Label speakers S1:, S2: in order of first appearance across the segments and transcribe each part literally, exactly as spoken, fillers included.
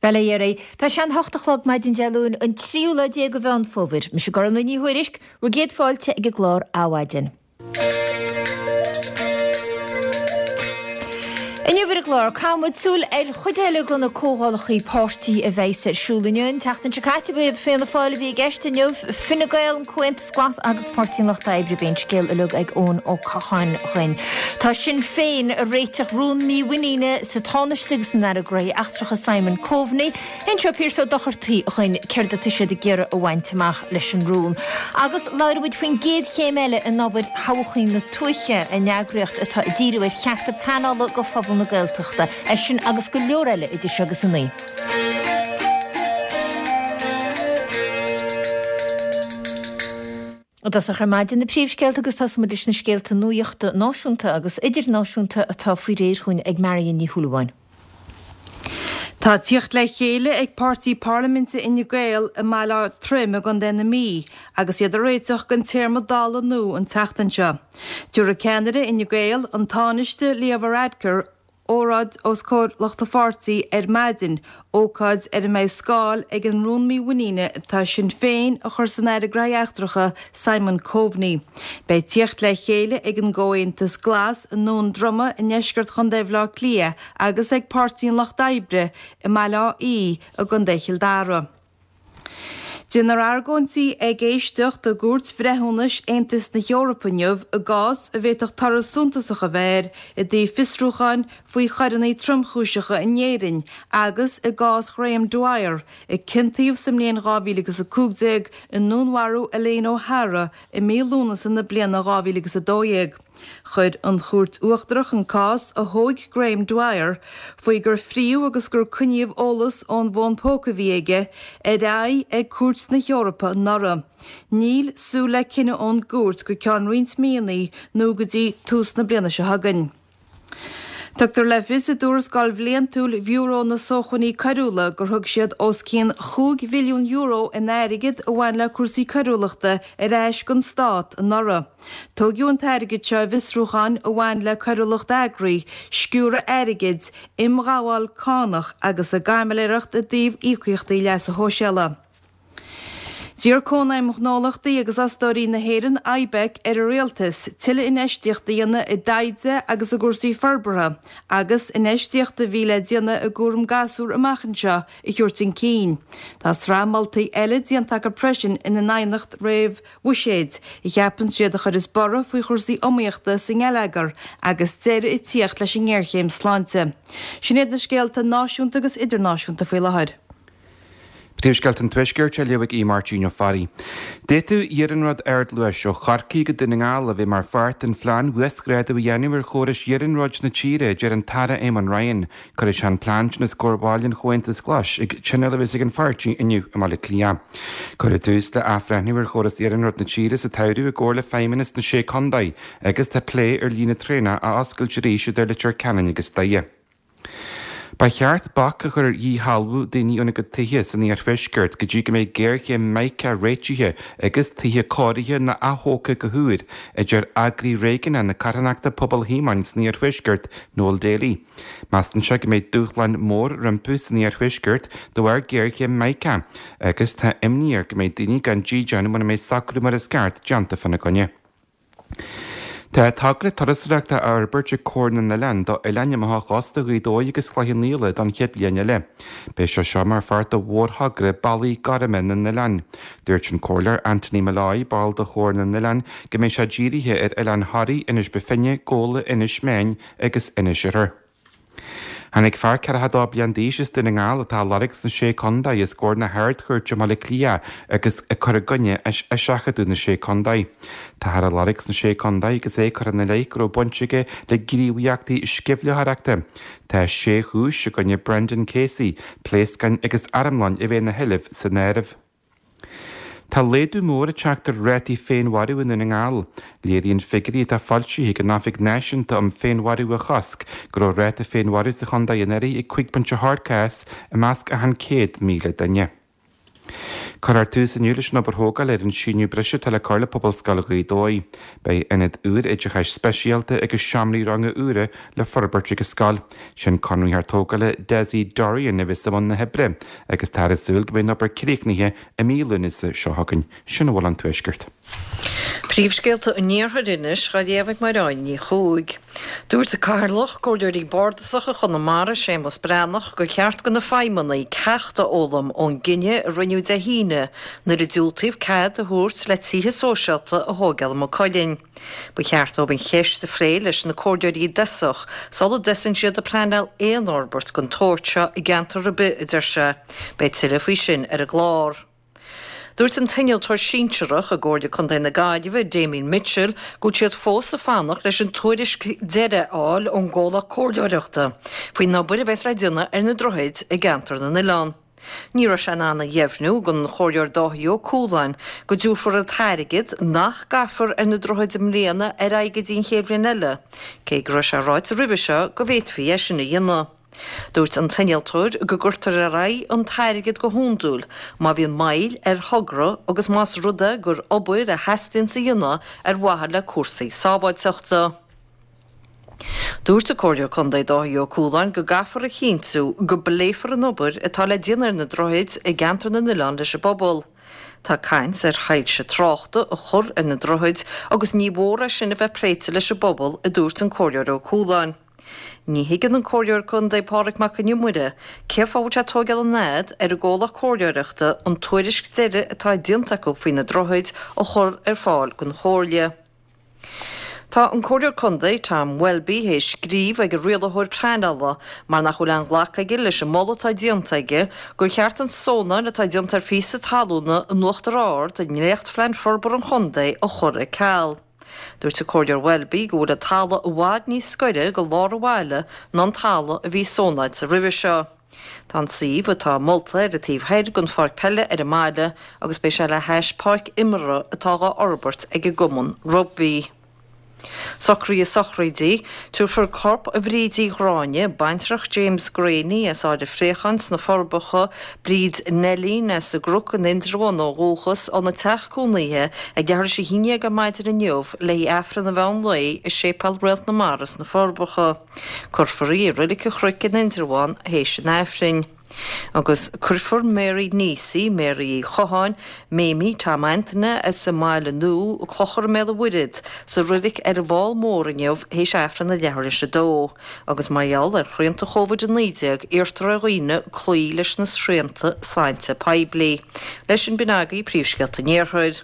S1: Bail ó Dhia oraibh. Tá sé an hocht a chlog maidin Dé Luain, an tríú lá déag de Mheán Fómhair. Mise Gormlaith Ní Thuairisg, bhur gcéad fáilte ag an gclár Adhmhaidin. Inniu ar an gclár, caithfidh muid súil ar chuid eile de na comhdhálacha páirtí a bheidhs ar siúl inniu. An tseachtain seo caite ba iad Fianna Fáil a bhí i gceist inniu, Fine Gael, an Comhaontas Glas agus Páirtí an Lucht Oibre. Beidh an scéal uilig ag Eoin Ó Catháin dhuinn. Tá Sinn Féin ag réiteach rún mímhuiníne sa Tánaiste agus san Aire Gnóthaí Eachtracha Simon Coveney. Inseoidh Pearse Ó Dochartaigh dhuinn céard atá siad ag iarraidh a bhaint amach leis an rún. Agus labhróidh muid faoin gcéad chéim eile in obair Thodhchaí na Tuaithe, an eagraíocht atá ag díriú ar chearta pleanála go phobal na Gaeltachta. É sin agus go leor eile idir seo agus a naoi. I dtosach ar maidin na príomhscéalta agus tosóidh muid leis na scéalta nuachta náisiúnta agus idirnáisiúnta atá faoi réir chugainn ag Marion Ní Shúilleabháin.
S2: Tá tíocht le chéile ag páirtí parlaiminte Fhine Gael i mBaile Átha Troim i gContae na Mí agus iad ag réiteach don téarma Dála nua an tseachtain seo. Tabharfaidh ceannaire Fhine Gael, an Tánaiste Leo Varadkar, óráid os comhair lucht a pháirtí ar maidin, ócáid ar a mbeidh scáil ag an rún mímhuiníne atá Sinn Féin a chur san Aire Gnóthaí Eachtracha Simon Coveney. Beidh tíocht le chéile ag an gComhaontas Glas i nDún Droma i ndeisceart Chontae Bhaile Átha Cliath agus ag Páirtí an Lucht Oibre i mBaile Átha Í i gContae Chill Dara. Déanfar argóintí ag éisteacht i gCúirt Bhreithiúnais Aontas na hEorpa inniu i gcás a bhféadfadh toradh suntasach a bheith air i dtaobh fiosrúcháin faoi choireanna tromchúiseacha in Éirinn agus i gcás Graham Dwyer, a ciontaíodh sa mbliain dhá mhíle agus a cúig déag i ndúnmharú Elaine O'Hara i mí Lúnasa na bliana dhá mhíle agus a dó dhéag. Chuir an Chúirt Uachtarach an cás a thóig Graham Dwyer, faoi gur fríodh agus gur coinníodh eolas ón bhfón póca a bhí aige, ar aghaidh ag Cúirt na hEorpa anuraidh. Níl súil le cinneadh ón gcúirt go ceann roinnt míonna nó go dtí tús na bliana seo chugainn. Tugtar le fios i dtuarascáil bhliantúil Bhiúró na Sócmhainní Coiriúla gur thug siad os cionn chúig bhilliún euro in airgead a bhain le cúrsaí coiriúlachta ar ais don stát anuraidh. Tóigeadh an t-airgead seo i bhfiosrúcháin a bhain le coiriúlacht eagraithe, sciúradh airgid, imghabháil cánach agus i gcaimiléireacht i dtaobh íocaíochtaí leasa shóisialaigh. D'iarr Cónaidhm Ghnólachtaí agus Fhostóirí na hÉireann, IBEC, ar an Rialtas tuilleadh infheistíochta a dhéanamh i dtaighde agus i gcúrsaí forbartha agus infheistíocht a bhí le déanamh i gcúram gasúr amach anseo a thabhairt chun cinn. Tá sraith moltaí eile déanta acu freisin ina n aighneacht réamh-bhuiséid, a cheapann siad a chuirfeas borradh faoi chúrsaí iomaíochta sa ngeilleagar agus deireadh ag tíocht leis an ngéarchéim sláinte. Sin iad na scéalta náisiúnta agus idirnáisiúnta faoi láthair.
S3: Príomhscéalta an Tuaiscirt á léamh ag Aodh Máirtín Ó Fearraigh. D'fhéadfadh iarnród ardluais ó Chorcaigh go Dún na nGall a bheith mar pháirt den phlean uasghrádú a dhéanamh ar chórais iarnróid na tíre, a deir an tAire Eamon Ryan. Cuirfidh sé an plean sin os comhair bhaill an Chomhaontais Ghlais ag tionól a bheas ag an pháirtí inniu i mBaile Átha Cliath. Cuireadh tús le athbhreithniú ar chóras iarnróid na tíre sa tsamhradh i gcomhar le Feidhmeannas na Sé Contae agus tá plé ar líne traenach a oscailt arís idir Leitir Ceanainn agus Doire. Ba cheart bac a chur ar dhíshealbhú daoine óna gcuid tithe san iarthuaisceart go dtí go mbeidh géarchéim Mica réitithe agus tithe cóirithe nó athógtha go húr, a deir eagraí réigiúnach na carthanachta Pobal Shíomóin san iarthuaisceart, Noel Daly. Measann sé go mbeidh dúshláin mór rompu san iarthuaisceart de bharr géarchéim Mica agus tá imní air go mbeidh daoine gan dídean muna mbeidh socrú mar is ceart déanta fána gcoinne. Tá togra turasóireachta á fhorbairt ag Comhar na nOileán do oileáin amach ó chósta Ghaoth Dobhair agus Chloich Cheann Fhaola don chéad bhliain eile. Beidh sé seo mar pháirt de mhórthogra Bealaí Gorma na nOileán. Dúirt an Comhairleoir Anthony Molloy, ball de Chomhar na nOileán, go mbeidh sé dírithe ar oileáin Thoraí, Inis Bó Finne, Gabhla, Inis Meáin agus Inis Oirthir. Tháinig fear ceathracha a dó bliain d'aois as Dún na nGall atá á lorg sna Sé Contae os comhair na hArd-Chúirte i mBaile Átha Cliath agus ag cur i gcoinne eiseachadadh na Sé Contae. Táthar á lorg sna Sé Contae agus é curtha ina leith go raibh baint aige le gníomhaíochtaí sceimhlitheoireachta. Tá sé chúis i gcoinne Brendan Casey, pléascáin agus armlón a bheith ina sheilbh san áireamh. Tá laghdú mór ag teacht ar rátaí féinmharú i nDún na nGall. Léiríonn figiúirí atá foilsithe ag an Oifig Náisiúnta um Féinmharú a Chosc go raibh ráta féinmharú sa chontae anuraidh ag cúig pointe a hocht cás i measc achan céad míle duine. Cuirfear tús inniu leis an obair thógála ar an síneadh breise atá le cur le Pobalscoil Ghaoth Dobhair. Beidh ionad úr oideachais speisialta agus seomraí ranga úra le forbairt ag an scoil. Sin conraitheoir tógála Desi Dorian a bheas i mbun na hoibre agus táthar ag súil go mbeidh an obair críochnaithe i mí Lúnasa seo chugainn. Sin a bhfuil ón Tuaisceart.
S4: Príomhscéalta an Iarthair anois á léamh ag Máireáin Ní Chuaig. Dúirt Cathaoirleach Comhairleoirí Bardasacha Chonamara Séamus Breathnach gur cheart do na feidhmeannaigh ceacht a fhoghlaim ón gcinneadh a rinneadh Dé hAoine nuair a diúltaíodh cead a thabhairt le tithe sóisialta a thógáil i Maigh Cuilinn. Ba cheart dóibh an cheist a phlé leis na comhairleoirí i dtosach sula dtosaíonn siad ag pleanáil aon fhorbairt den tsórt seo i gceantar ar bith, a deir sé. Beidh tuilleadh faoi sin ar an gclár. Dúirt an t-innealtóir sinsearach i gComhairle Contae na Gaillimhe, Damien Mitchell, go bhfuil siad fós ag fanacht leis an tuairisc deiridh a fháil ón gcomhlacht comhairleoireachta faoin obair a bheas le déanamh ar na droichid i gceantar na n-oileán. Ní raibh sé in ann a dheimhniú don Chomhairleoir Dáithí Ó Cualáin go dtabharfar an t-airgead nach gcaithfear ar na droichid i mbliana ar aghaidh go dtí an chéad bhliain eile, cé go raibh sé ráite roimhe seo go bhféadfaí é sin a dhéanamh. Dúirt an t-innealtóir go gcuirtear ar aghaidh an t-airgead go hiondúil má bhíonn moill ar thogra agus más rud é gur obair a theastaíonn a dhéanamh ar mhaithe le cúrsaí sábháilteachta. Dúirt an Comhairleoir Contae Dáithí Ó Cualáin go gcaithfear a chinntiú go bpléifear an obair atá le déanamh ar na droichid i gceantar na n-oileán leis an bpobal. Tá caint ar shoilse tráchta a chur ar na droichid agus ní mhór é sin a bheith pléite leis an bpobal, a dúirt an Comhairleoir Ó Cualáin. Ní thuigeann an Comhairleoir Contae Pádraig Mac Con Iomaire cén fáth a bhfuil sé ag tógáil an fhad ar an gcomhlacht comhairleoireachta an tuairisc deiridh atá déanta acu faoi na droichid a chur ar fáil don Chomhairle. Tá an Comhairleoir Contae Tom Welby théis scríobh ag an rialaitheoir pleanála mar nach bhfuil aon ghlacadh aige leis an moladh atá déanta aige gur cheart an zónáil atá déanta ar phíosa talúna in Uachtar Ard i ndréachtphlean forbartha an chontae a chur ar ceal. Dúirt an Comhairleoir Welby go bhfuil an talamh i bhfad níos gaire go lár an bhaile ná an talamh a bhí zónáilte roimhe seo. Tá an suíomh atá molta ar an taobh thoir den pháirc peile ar an mbaile agus beidh sé le hais páirc imeartha atá dhá fhorbairt ag an gcumann rugbaí. Socruithe sochraide, tabharfar corp Bhríd Uí Ghráinne, baintreach James Graney as Árainn Phréacháin sna Forbacha, Bríd Neilín as an gCnoc in Indreabhán ó dhúchas, óna teach cónaithe ag leathuair tar éis a haon déag ar maidin inniu le haghaidh Aifreann an mheán lae i Séipéal Réalt na Mara sna Forbacha. Cuirfear í i Reilig an Chnoic in Indreabhán théis an Aifrinn. Agus cuirfear Mary Neesey, Mary Uí Chotháin, Mamie Tom Antaine as an mBaile Nua, Clochar i mBéal an Mhuirthead, sa reilig ar an bhFál Mór inniu théis Aifreann a leathuair théis a dó. Agus mar gheall ar shrianta Chóivid a naoi déag iarrtar ar dhaoine cloí leis na srianta sláinte poiblí. Leis sin b'in agaibh príomhscéalta an Iarthair.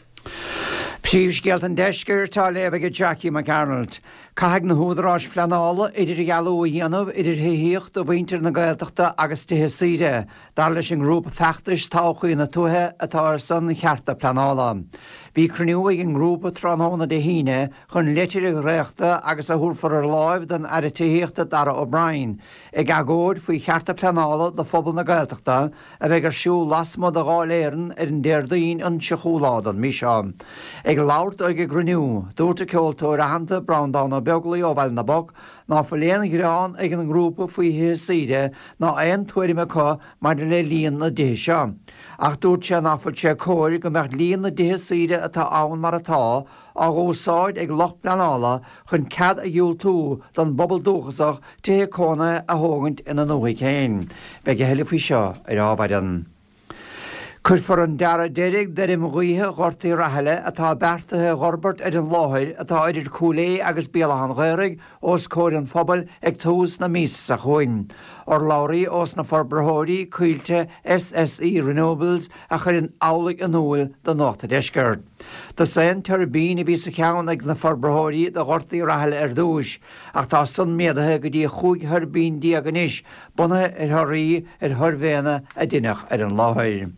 S5: Príomhscéalta an Deiscirt á léamh ag Jackie McArnold. Caithfidh na húdaráis phleanála idirdhealú a dhéanamh idir thithíocht do mhuintir na Gaeltachta agus tithe saoire, dar leis an ngrúpa feachtais Todhchaí na Tuaithe atá ar son chearta pleanála. Bhí cruinniú ag an ngrúpa tráthnóna Dé hAoine chun litir a dhréachtadh agus a thabharfar ar láimh don Aire Tithíochta Darragh O'Brien, ag agóid faoi chearta pleanála do phobal na Gaeltachta a bheidh ar siúl lasmuigh de Dháil Éireann ar an Déardaoin an tríochú lá den mhí seo. Ag labhairt dó ag an gcruinniú, dúirt an ceoltóir aitheanta Breandán Ó Beaglaoich ó Bhaile na bPoc ná fuil aon ghearán ag an ngrúpa faoi thithe saoire ná aon tuairim acu maidir le líon na dtithe seo. Ach dúirt sé ná fuil sé cóir go mbeadh líon na dtithe saoire atá ann mar atá á úsáid ag lucht pleanála chun cead a dhiúltú don bpobal dúchasach tithe cónaithe a thógaint ina ndúthaigh féin. Beidh a thuilleadh faoi seo ar ámhaireann. Cuirfear an dearadh deiridh d'fheirm ghaoithe Ghort Uí Rathaille atá beartaithe a fhorbairt ar an láthair atá idir Cúil Aodha agus Béal Átha an Ghaorthaidh os comhair an phobail ag tús na míosa seo chugainn. Urlabhraí ós na forbraitheoirí, Coillte S S E Renewables, a chuireann amhlaidh in iúl do Nuacht an Deiscirt. Dosaen tuirbín a bhí sa cheann ag na forbraitheoirí do Ghort Uí Rathaille ar dtús, ach tá san méadaithe go dtí chúig thuirbín déag anois, bunaithe ar thorthaí ar shuirbhéanna a deineadh ar an láthair.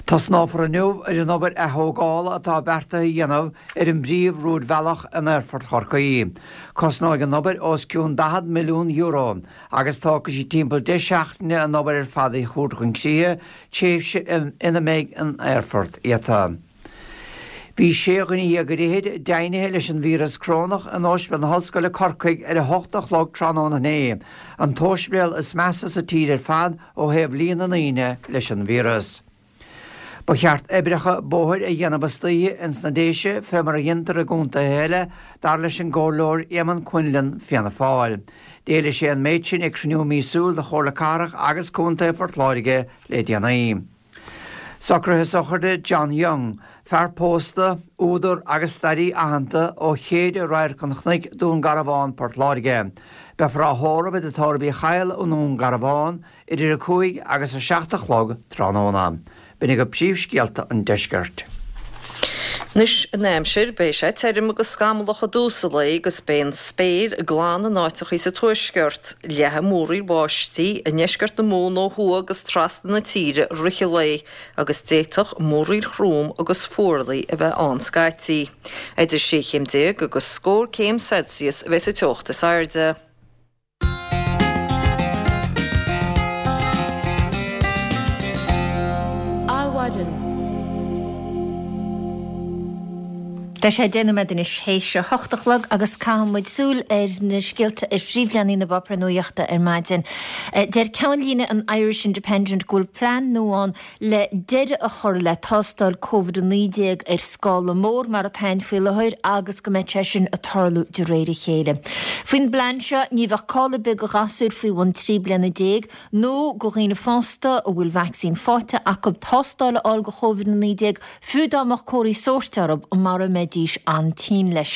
S5: Tosnófar inniu ar an obair athógála atá beartaithe a dhéanamh ar an bpríomh-rúidbhealach in Aerfort Chorcaí. Cosnóidh an obair os cionn daichead milliún euro agus tógfaidh sí timpeall deich seachtaine an obair ar fad a thabhairt chun críche, tréimhse ina mbeidh an aerfort iata. Bhí sé dhuine dhéag ar fhichid deimhnithe leis an víreas corónach in Ospidéal na hOllscoile Corcaigh ar a hocht a chlog tráthnóna inné, an t-ospidéal is measa sa tír ar fad ó thaobh líon na ndaoine leis an víreas. Ba cheart oibreacha bóthair a dhéanamh istoíche ins na Déise fé mar a dhéantar i gcontaetha eile, dar leis an gComhairleoir Éamonn Quinlan, Fianna Fáil. D'éiligh sé an méid sin ag cruinniú míosúil de Chomhairle Cathrach agus Contae Phort Láirge le déanaí. Socruithe sochraide John Young, fear pósta, údar agus staraí aitheanta ó Chéide Radharc an Chnoic, Dún Garbhán, Port Láirge. Beifear á thórramh i dTigh Tórraimh Uí Chadhail i nDún Garbhán idir a cúig agus a seacht a chlog tráthnóna. B'in agaibh príomhscéalta an deiscirt.
S4: Anois an aimsir, beidh sé tirim agus scamallach i dtús an lae agus beidh an spéir glan in áiteachaí sa tuaisceart. Leathfaidh múraíl báistí i ndeisceart na Mumhan ó thuaidh agus trasna na tíre i rith an lae agus d'fhéadfadh múraíl throm agus fuarlaigh a bheith ann scaití. Idir sé chéim déag agus scór céim Celsius a bheidh sa teocht is airde.
S1: Adhmhaidin. Tá sé deich nóiméad anois théis a hocht a chlog agus caithfidh muid súil ar na scéalta ar phríomhleathanaigh na bpáipéar nuachta ar maidin. Deir ceannlíne an Irish Independent go bhfuil plean nua ann le deireadh a chur le tástáil Covid a naoi déag ar scála mór mar atá ann faoi láthair agus go mbeidh sé sin ag tarlú de réir a chéile. Faoin bplean seo ní bheadh call ar bith do ghasúir faoi bhun trí bliana déag nó do dhaoine fásta a bhfuil vacsaín faighte acu tástáil a fháil do Chóivid a naoi déag fiú dá mbeadh comharthaí sóirt orthu mara mbeidís an-tinn leis.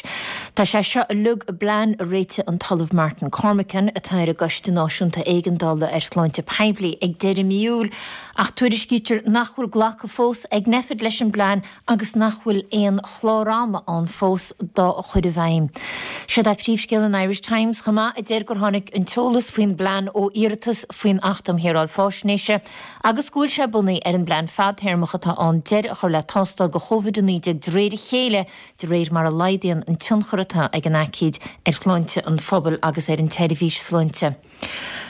S1: Tá sé seo uilig i bplean a réitigh an tOllamh Martin Cormican, atá ar an gCoiste Náisiúnta Éigeandála ar Shláinte Poiblí, ag deireadh mí Iúil, ach tuairiscítear nach bhfuil glactha fós ag Nphet leis an bplean agus nach bhfuil aon chlár ama ann fós dá chur i bhfeidhm. Seo é príomhscéal an Irish Times chomh maith, a deir gur tháinig an t-eolas faoin bplean ó iarratas faoin Acht um Shaoráil Faisnéise agus go bhfuil sé bunaithe ar an bplean fadtéarmach atá ann deireadh a chur le tástáil do Chóivid a naoi déag de réir a chéile de réir mar a laghdaíonn an tionchar atá ag an aicíd ar shláinte an phobail agus ar an tseirbhís sláinte.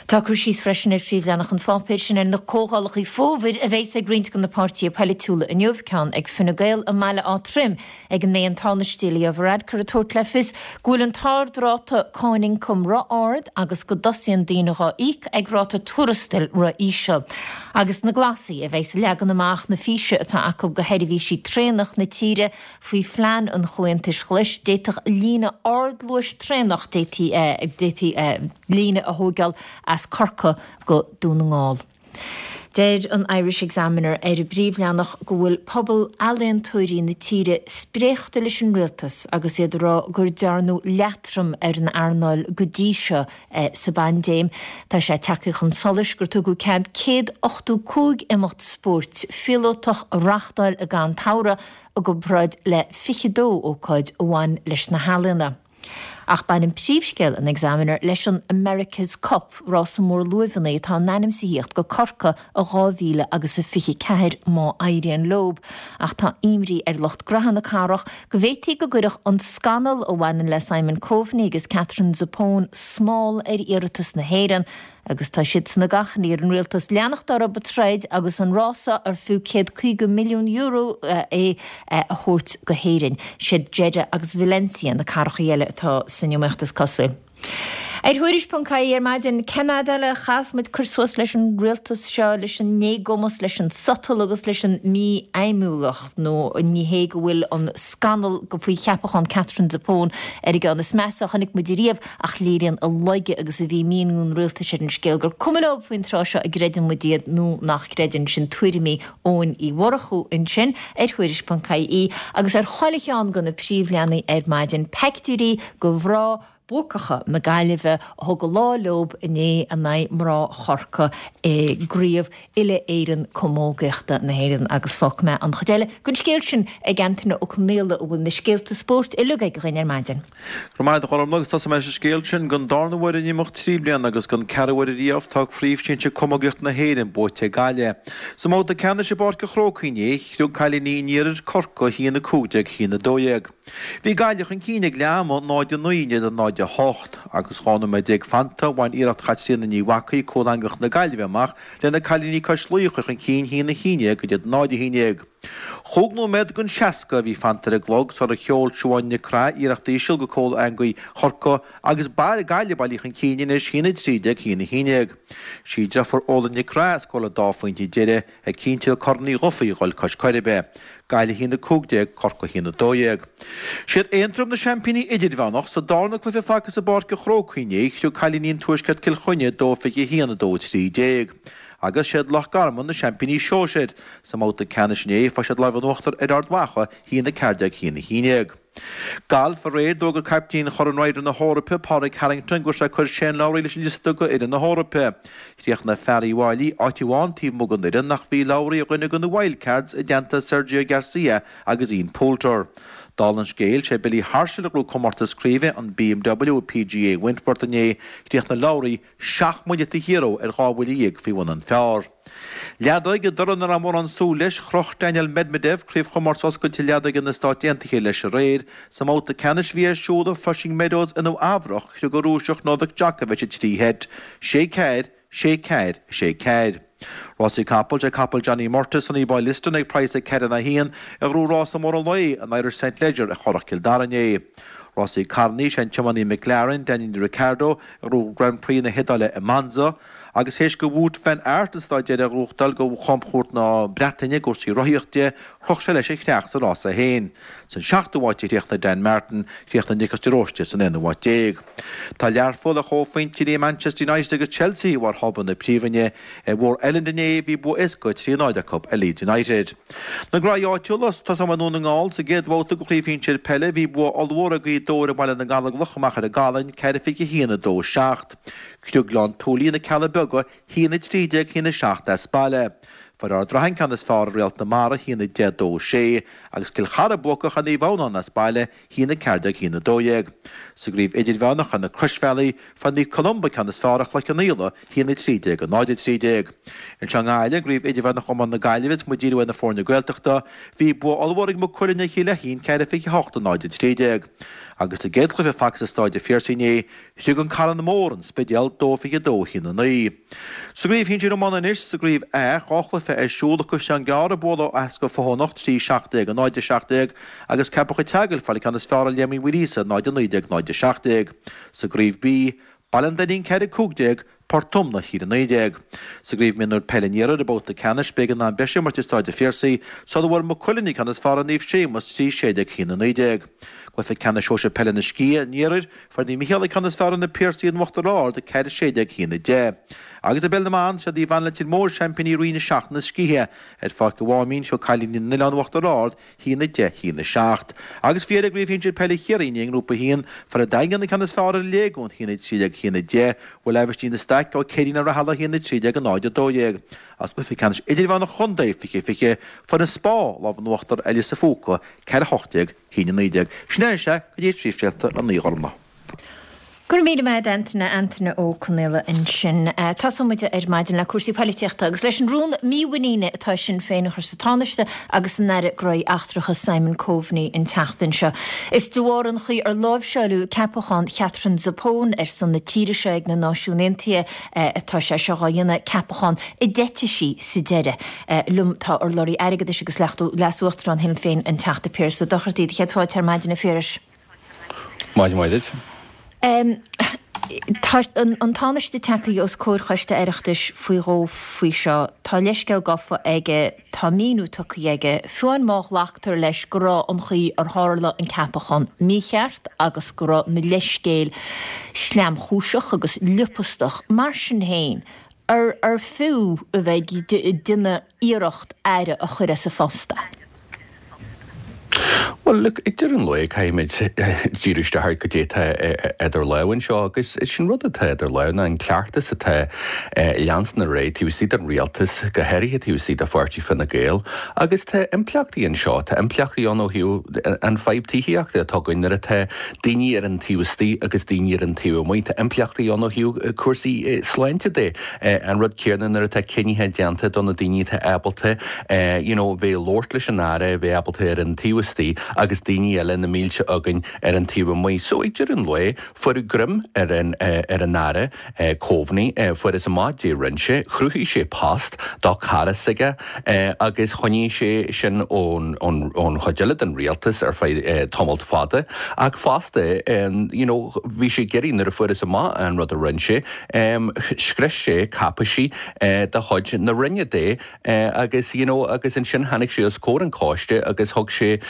S1: Tá cur síos freisin ar phríomhleathanach an pháipéir sin ar na comhdhálacha fómhair a bheas ag roinnt de na páirtithe polaitiúla inniu, ceann ag Fine Gael i mBaile Átha Troim ag a mbeidh an Tánaiste Leo Varadkar ag tabhairt le fios go bhfuil an t-ardráta cáin ioncaim ró-ard agus go dtosaíonn daoine dhá íoc ag ráta tuarastail ró-íseal. Agus na Glasaigh a bheas ag leagan amach na físe atá acu do sheirbhísí traenach na tíre faoi phlean an Chomhaontais Ghlais, d'fhéadfadh líne ardluais traenach d'fhéadfaí líne a thógáil as Corcaigh go Dún na nGall. Deir an Irish Examiner ar a bpríomhleathanach go bhfuil pobal ealaíontóirí na tíre spréachta leis an rialtas agus iad ag rá gur dearnadh leatrom ar an earnáil go dtí seo sa bpaindéim. Tá sé tagtha chun solais gur tugadh cead céad ochtó cúig imeacht spóirt phíolótach a reáchtáil i gcaitheamh an tsamhraidh i gcomparáid le fiche dó ócáid a bhain leis na healaíona. Ach baineann príomhscéal an Examiner leis an America's Cup, rása mór luaimheanna atá in ainm is a thíocht go Corcaigh i dhá mhíle agus a fiche ceathair má éiríonn leob. Ach tá imní ar lucht graithe na cathrach go bhféadfaí go gcuirfeadh an scannal a bhaineann le Simon Coveney agus Katherine Zappone smál ar iarratas na hÉireann agus tá siadsan ag achainí ar an rialtas leanacht orthu ag troid agus an rása ar fiú céad caoga milliún euro é a thabhairt go hÉirinn. Siad Jeddah agus Valencia na cathracha eile atá san iomaíocht is cosúil. Ar Thuairisc ponc ie ar maidin, cén fhad eile a chaithfeas muid cur suas leis an rialtas seo, leis an éagumas, leis an sotal agus leis an mífheidhmiúlacht? Nó ní hé go bhfuil an scannal faoi cheapachán Katherine Zappone ar an gceann is measa a chonaic muid ariamh, ach léiríonn a laige agus a bhí míniú an rialtais ar an scéal gur cuma leo faoin tráth seo an gcreideann muid iad nó nach gcreideann. Sin tuairimí Eoin Uí Mhurchú ansin ar Thuairisc ponc ie agus ar chuile cheann de na príomhleathanaigh ar maidin, peictiúirí de mhná buacacha na Gaillimhe a thug an lá leob inné in aghaidh mná Chorcaí i gCraobh Uile-Éireann Camógaíochta na hÉireann agus fágfaidh mé an chuid eile den scéal sin ag Antaine Ó Conaola a bhfuil na scéalta spóirt uilig aige dhuinn ar maidin.
S6: Go raibh maith agat a Ghormfhlaith agus tosóidh mé leis an scéal sin. Don darna huair in imeacht trí bliana agus don ceathrú huair ariamh tá Craobh Shinsir Camógaíochta na hÉireann buaite ag Gaillimh. Sa mbabhta ceannais i bPáirc an Chrócaigh inné, chriog cailíní an Iarthair Corcaigh a haon a cúig déag, a haon a dó dhéag. Bhí Gaillimh chun cinn ag leath ama, náid a naoi in éadan náid náid a hocht. Agus dhá nóiméad déag fanta, bhain iarracht Chaitríona Ní Mhacaigh cúl eangach na Gaillimhe amach le na cailíní cois Laoi a chur chun cinn haon a haon déag go dtí náid a haon déag. Chúig nóiméad den seasca a bhí fanta ar an gclog sar a sheol Siobhán Nic Craith iarracht íseal go cúl eangaí Chorcaí agus Gaillimh bailithe chun cinn anois haon a trí déag haon a haon déag. Sí deirfiúr Órla Nic Craith a scóráil an dá phointe deiridh ag cinntiú Corn Uí Dhufaigh a dhul cois Coiribe. Gaillimh haon a cúig déag, Corcaigh haon a dó dhéag. Siad Aontroim na seaimpíní idirmheánach sa darna cluiche fágtha i bPáirc an Chrócaigh inné, thug cailíní an Tuaiscirt Cill Chainnigh dó fiche a haon a dó a trí déag. Agus siad Loch Garman na seaimpíní sóisir sa mbabhta ceannais inné, fuair siad lámh in uachtar ar Ard Mhacha haon a ceathair déag haon a haon déag. Galf aréir, d'fhógair caiptín Chorn Ryder na hEorpa, Pádraig Harrington, go raibh sé ag cur Shane Lowry leis an liosta go fhoireann na hEorpa. Chríochnaigh fear Uíbh Fhailí áit amháin taobh amuigh den fhoireann ach bhí Lowry ar dhuine de na wildcards i dteannta Sergio Garcia agus Ian Poulter. Dála an scéil, sé Billy Horschel a ghnóthaigh comórtas craoibhe an BMW PGA Wentworth inné, chríochnaigh Lowry seacht mbuille taobh thiar dó ar dhá bhuille dhéag faoi bhun an phar. Leadóg, i dtoradh nach raibh mórán súil leis, chroch Daniil Medvedev craobhchomórtas oscailte leadóige na Stát Aontaithe leis aréir. Sa mbabhta ceannais a bhí ar siúl i Flushing Meadows i Nua Eabhrac, thug an Rúiseach Novak Djokovic i trí sheit, sé ceathair, sé ceathair, sé ceathair. Rásaí capall, sé capall Johnny Murtagh, Sonnyboy Liston ag praghas a ceithre a haon, a ghnóthaigh rása mór an lae, an Irish St Leger ag Currach Chill Dara inné. Rásaí carrannaí, sé an tiománaí McLaren, Daniel Ricciardo, a ghnóthaigh Grand Prix na hIodáile i Monza, agus théis go Wout van Aert an staid deiridh a ghnóthachtáil go chamchuairt na Breataine i gcúrsaí rothaíochta, chroch sé leis an chreach sa rása féin. San seachtú háit a chríochnaigh Dan Martin, chríochnaigh Nicholas de Róiste san aonú háit déag. Tá Learpholl ar chomhphointe le Manchester United agus Chelsea i bharr thábla na Príomhroinne. I bhFór Eilean inné bhí bua éasca trí náid acu ar Leeds United. Na graí áitiúla, tosóidh mé i nDún na nGall sa gcéad bhabhta de chraobh shinsir peile bhí bua ollmhór ag Gaoth Dobhair i mBaile na nGallóglach amach ar an gCalann, ceithre fiche a haon a dó seacht. Thug Gleann tSúilí na Cealla Beaga haon a trí déag haon a seacht as baile. Fuair Ard Rathain ceann is fearr ar Réalt na Mara haon a deich dó sé, agus Cill Chartha buacach ar Naomh Adhamhnáin as baile haon a ceathair déag haon a dó dhéag. Sa gcraobh idirmheánach ar na Croisbhealaí, fuair Naomh Columba ceann is fearr ar Chloich Cheann Fhaola haon a trí déag a náid a trí déag. Anseo i nGaillimh, i gcraobh idirmheánach iomána na Gaillimhe is muid ag díriú ar na foirne Gaeltachta, bhí bua ollmhór ag Maigh Cuilinn ar Chill Fheichín ceithre fiche a hocht a náid a trí déag. Agus sa gcéad chluiche fágtha sa Staid an Phiarsaigh inné, thug an Carn Mór an Spidéal dó fiche a dó haon a naoi. Sa gcraobh shinsir iomána anois, sa gcraobh A, dhá chluiche ar siúl, Caisleán Gearr ag bualadh Easca Fothoinn trí seacht déag a náid a seacht déag agus Ceapach an tSeagail ag fáil an ceann is fearr ar Léim Uí Mhuiríosa náid a naoi déag náid a seacht déag. Sa gcraobh B, Baile an Daingin ceithre cúig déag, Port Omna a naoi déag. Sa gcraobh mionúir peile an Iarthair i mbabhta ceannais b'éigean am breise a imirt i Staid an Phiarsaigh sula bhfuair Maigh Cuilinn an ceann is fearr ar Naomh Séamus trí sé déag a naoi déag. Cluiche ceannais sóisir peile na Sciath an Iarthair, fuair Naomh Micheál an ceann is fearr ar na Piarsaigh in Uachtar Ard ceithre sé déag a deich. Agus i bpeil na mban, siad Naomh Anna Leitir Móir seaimpíní Roinn a seacht na Sciatha ar Pháirc an Mháimín, thug cailíní na nOileán Uachtar Ard a haon a deich a haon a seacht. Agus faoi dheireadh i gcraobh shinsir peile Chiarraí i nGrúpa a haon, fuair an Daingean an ceann is fearr ar an Léigiún a haon a trí déag a haon a deich, bhuail Aibhistín de Staic Ó Céirín na Rathala a haon a trí déag a náid a dó dhéag. As cluiche ceannais idirmheánach chontae fiche fiche, fuair an Spá lámh in uachtar ar Lios a' Phúca ceithre hocht déag a haon a naoi déag. Sin é sea go dtí príomhscéalta a naoi Ghormlaith.
S1: Go raibh míle maith agat Antaine, Antaine Ó Conaola ansin. Tosóidh muid ar maidin le cúrsaí poilitíochta agus leis an rún mímhuiníne atá Sinn Féin a chur sa Tánaiste agus san Aire Gnóthaí Eachtracha Simon Coveney an tseachtain seo. Is de bharr an chaoi ar láimhseáladh ceapachán Katherine Zappone ar son na tíre seo ag na Náisiúin Aontaithe atá sé seo á dhéanamh ceapachán a d'eitigh sí sa deireadh. Liom tá urlabhraí airgeadais agus leas-uachtarán Shinn Féin an Teachta Pearse Ó Dochartaigh do chéad fáilte ar maidin a Phiarais.
S7: Maidin mhaith duit.
S1: Um, tá an, an Tánaiste tagtha os comhair choiste Oireachtais faoi dhó faoi seo, tá leithscéal gafa aige, tá míniú tugtha aige, fiú amháin má ghlactar leis go raibh an chaoi ar tharla an ceapachán mícheart agus go raibh na leithscéil sleamchúiseach agus liopastach mar sin féin, ar, ar fiú a bheith ag déanamh iarracht aire a chur as a phost.
S7: Well, look, ag deireadh an lae caithfimid díriú isteach ar goidé atá idir lámha anseo agus sin rud atá idir lámha ná an cleachtas atá leanstan ar aghaidh taobh istigh den rialtas, go háirithe taobh istigh de pháirtí Fine Gael, agus tá impleachtaí anseo, tá impleachtaí ann ó thaobh an fadhb tithíochta atá againn nuair atá daoine ar an taobh istigh agus daoine ar an taobh amuigh, tá impleachtaí ann ó thaobh cúrsaí sláinte de, an rud céanna nuair atá cinnithe déanta do na daoine atá ábalta you know, bheith labhairt leis an Aire, bheith ábalta ar an taobh istigh agus daoine eile na mílte againn ar an taobh amuigh. So ag deireadh an lae, fuaireadh greim ar an ar an Aire Coveney, fuarthas amach caidé rinne sé, chruthaigh sé post do chara s'aige agus choinnigh sé sin ón ón ón chuid eile den rialtas ar feadh tamalt fada. Ach fosta, you know, bhí sé ag iarraidh nuair a fuarthas amach an rud a rinne sé, scrios sé cáipéisí de chuid na Roinne de agus you know agus ansin tháinig sé os comhair an choiste agus thug sé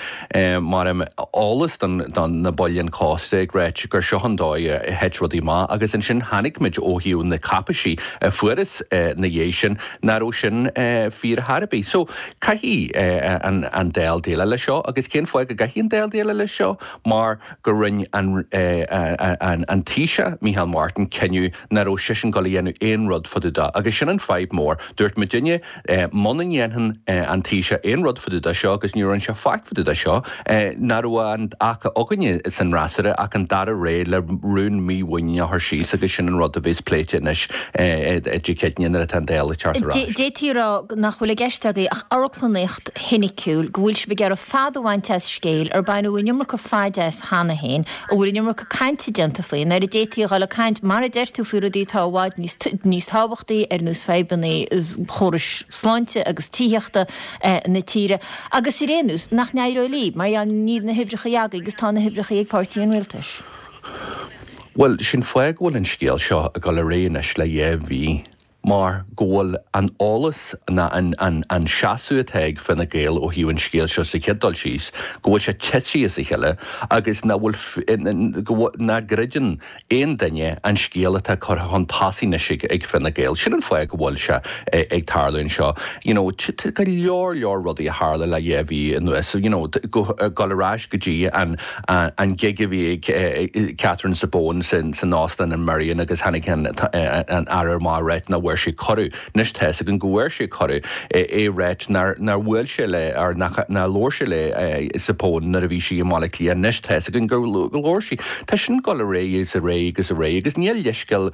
S7: mar eolas don don na baill an choiste ag ráit gur seo an dóigh a thit rudaí amach agus ansin chonaic muid ó thaobh na cáipéisí a fuarthas na dhiaidh sin nach raibh sin fíor ar bith. So caithfidh an an Dáil déileáil leis seo agus cén fáth go gcaithfidh an Dáil déileáil leis seo mar gur rinne an an an Taoiseach Micheál Martin cinneadh nach raibh seisean ag dul a dhéanamh aon rud fá dtaobh de agus sin an fadhb mór. Dúirt muidinne muna ndéanann an Taoiseach aon rud fá dtaobh de seo agus ní rinne sé faic fá dtaobh de seo nach raibh ach againne san fhreasúra ach an dara rogha le rún mímhuiníne a chur síos agus sin an rud a bheas pléite anois Dé Céadaoine nuair atá an Dáil ag teacht ar ais.
S1: D'fhéadfaí a rá nach bhfuil i gceist agaibh ach amharclannaíocht shoiniciúil, go bhfuil sibh ag iarraidh fad a bhaint as scéal ar baineadh an iomarca faid as cheana féin, a bhfuil an iomarca cainte déanta faoi, nuair a d'fhéadfaí a dhul ag caint, mar a deir tú, faoi rudaí atá i bhfad níos tábhachtaí, ar nós fadhbanna chórais sláinte agus tithíochta na tíre. Agus ar aon nós, nach n-éireoidh libh, mar gheall níl na huimhreacha agaibh agus tá na huimhreacha ag páirtí an rialtais.
S7: Bhuel, sin fáth go bhfuil an scéal seo ag dul ar aghaidh anois le dhá mhí, mar go bhfuil an eolas ná an an an seasamh atá ag Fine Gael ó thaobh an scéil seo sa chéad dul síos, go bhfuil sé tite as a chéile agus nach bhfuil go nach gcreideann aon duine an scéal atá curtha chun tosaigh anois ag ag Fine Gael. Sin an fáth go bhfuil sé ag tarlú anseo. You know, go leor leor rudaí a tharla le dhá mhí anuas, you know, go dul ar ais go dtí an an gig a bhí ag Catherine Zappone san san óstán an Merrion agus tháinig an an Aire amach ag ráit nach bhfuair sé cuireadh. Anois tá fhios againn go bhfuair sé cuireadh é ag ráit nár nár bhuail sé le or nach nár labhair sé le Zappone nuair a bhí sí i mBaile Átha Cliath. Anois tá fhios againn gur labhair sí. Tá sin ag dul ar aghaidh is ar aghaidh agus ar aghaidh agus níl leithscéal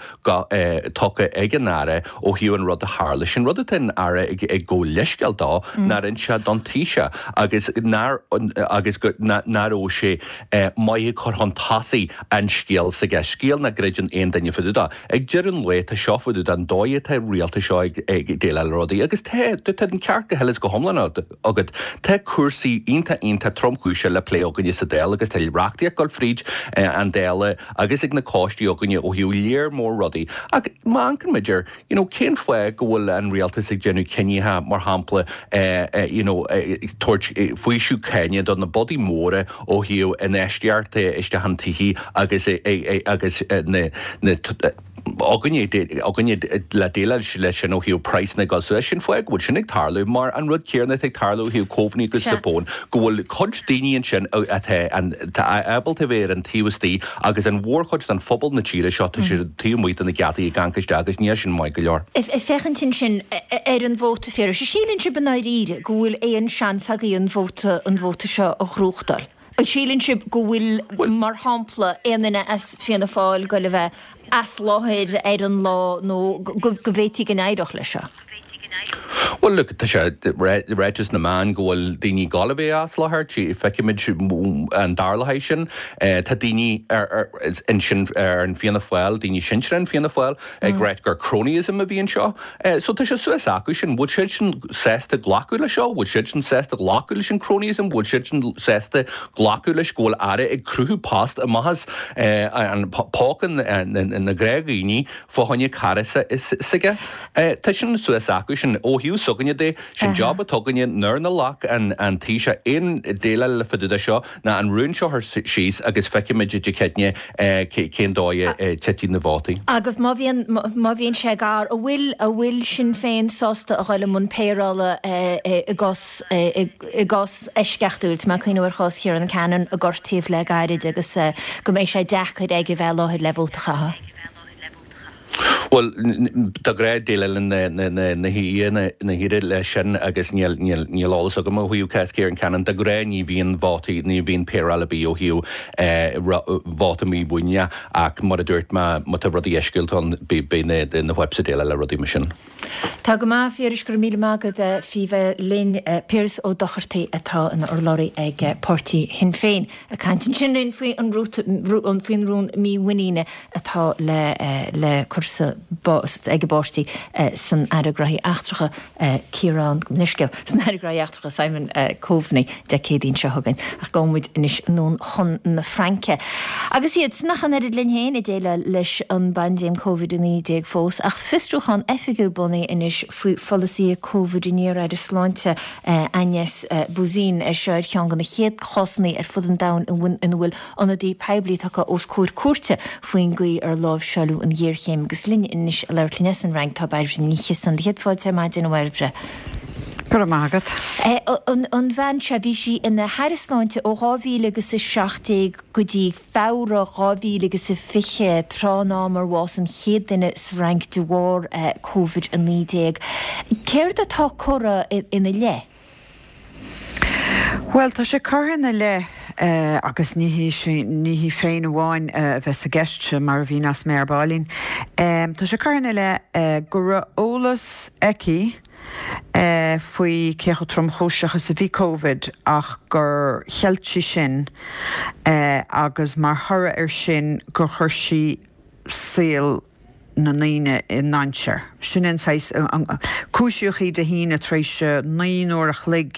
S7: tugtha ag an Aire ó thaobh an rud a tharla. Sin rud atá an Aire ag ag gabháil leithscéal dó nár inis sé don Taoiseach agus nár agus go nach raibh sé maith ag cur chun tosaigh an scéal s'aige, scéal nach gcreideann aon duine fá dtaobh de. Ag deireadh an lae tá seo fá dtaobh den dóigh atá an rialtas seo ag déileáil le rudaí agus tá tá an ceart go huile is go hiomlán agat. Tá cúrsaí iontach iontach tromchúiseach le plé againne sa Dáil agus tá reachtaíocht ag dul fríd an Dáil agus ag na coistí againne ó thaobh léar mór rudaí. Ach má amharcann muid ar you know cén fáth go bhfuil an rialtas ag déanamh cinnithe mar shampla you know tabhairt faoiseamh cáine do na bodaí móra ó thaobh infheistíocht isteach in tithe agus agus na na againne againne le déileáil leis sin ó thaobh praghsanna ag dul suas. Sin fáth go bhfuil sin ag tarlú mar an rud céanna atá ag tarlú ó thaobh Coveney agus Zappone go bhfuil cuid daoine ansin atá atá ábalta bheith ar an taobh istigh agus an mhórchuid den phobal na tíre seo tá siad taobh amuigh de na geataí ag amharc isteach agus níl sin maith go leor.
S1: Ag féachaint ansin ar an vóta Phiarais, síleann sibh i ndáiríre go bhfuil aon seans agaibh an vóta an vóta seo a ghnóthachtáil? An síleann sibh go bhfuil, mar shampla, aon duine as Fianna Fáil ag goil a bheith as láthair ar an lá nó go bhféadfaí go n-éireodh leis seo?
S7: Bhuel, look, tá sé ráite sna meáin go bhfuil daoine ag dul a bheith as láthair, feicfimid an dtarlóidh sin. Tá daoine ansin ar an Fianna Fáil, daoine sinsearacha in Fianna Fáil, ag ráit gur cronyism a bhí anseo. So tá sé suas acu sin. Bhfuil siad sin sásta glacadh leis seo? Bhfuil siad sin sásta glacadh leis an cronyism? Bhfuil siad sin sásta glacadh leis go bhfuil Aire ag cruthú post amach as an póca na gnáthdhaoine fá choinne cara s'aige? Tá sin suas acu sin. Ó thaobh s'againne de, sin job atá againne nuair nach nglac an Taoiseach aon déileáil le fá dtaobh de seo ná an rún seo a chur síos agus feicfimid Dé Céadaoine cén dóigh a titfidh na vótaí.
S1: Agus má bhíonn, má bhíonn sé gar, an bhfuil, an bhfuil Sinn Féin sásta a dhul i mbun péireála i gcás, i gcás eisceachtúil, tá mé ag cuimhneamh ar chás Ciarán Cannon a gortaíodh le gairid agus go mbeidh sé deacair aige bheith i láthair le vóta a chaitheamh?
S7: Bhuel, de ghnáth déileálann na na haoirí leis sin agus níl níl eolas agam ó thaobh cás Ciarán Cannon. De ghnáth ní bhíonn vótaí, ní bhíonn péireáil ar bith ó thaobh vóta mímhuiníne ach mar a dúirt mé, má tá rudaí eisceachtúil ann, beidh na whips ag déileáil le rudaí mar sin.
S1: Tá go maith, a Phiarais, go raibh míle maith agat faoi bheith linn. Piaras Ó Dochartaigh atá ina urlabhraí ag páirtí Shinn Féin ag caint ansin linn faoi an faoin rún mímhuiníne atá le le cur sa ag an bpáirtí san Aire Gnóthaí Eachtracha Ciarán Niskel san Aire Gnóthaí Eachtracha Simon Coveney Dé Céadaoin seo chugainn. Ach gabhfaidh muid anois anonn chun na Fraince. Agus iad nach an oiread linn féin ag déileáil leis an bpaindéim Covid a naoi déag fós, ach fiosrúchán oifigiúil bunaithe anois faoi pholasaithe Covid an iar-aire sláinte Agnès Buzyn é seo ar cheann de na chéad chásanna ar fud an domhain ina bhfuil ionadaí poiblí tagtha os comhair cúirte faoin gcaoi ar láimhseáladh an ghéarchéim. Agus linn anois ag labhairt linn as an Fhrainc tá Bairbre Ní Chiosáin. Céad fáilte ar maidin a Bhairbre.
S8: Go raibh maith agat.
S1: An bhean seo, bhí sí ina haire sláinte ó dhá mhíle agus a seacht déag go dtí Feabhra dhá mhíle agus a fiche, tráth an am ar bhásaigh an chéad duine sa Fhrainc de bharr Covid a naoi déag. Céard atá curtha ina leith?
S8: Bhuel, tá sé curtha ina leith agus ní hí sin, ní hí féin amháin a bheas i gceist, mar a mhíneos mé ar baillín. Tá sé curtha ina leith go raibh eolas aici faoi cé chomh tromchúiseach is a bhí Covid ach gur cheilt sí sin agus mar thoradh air sin gur chuir sí saol na ndaoine i ndainséar. Sin an saghas, cúisíodh í Dé hAoine tar éis naoi n-uair a chloig,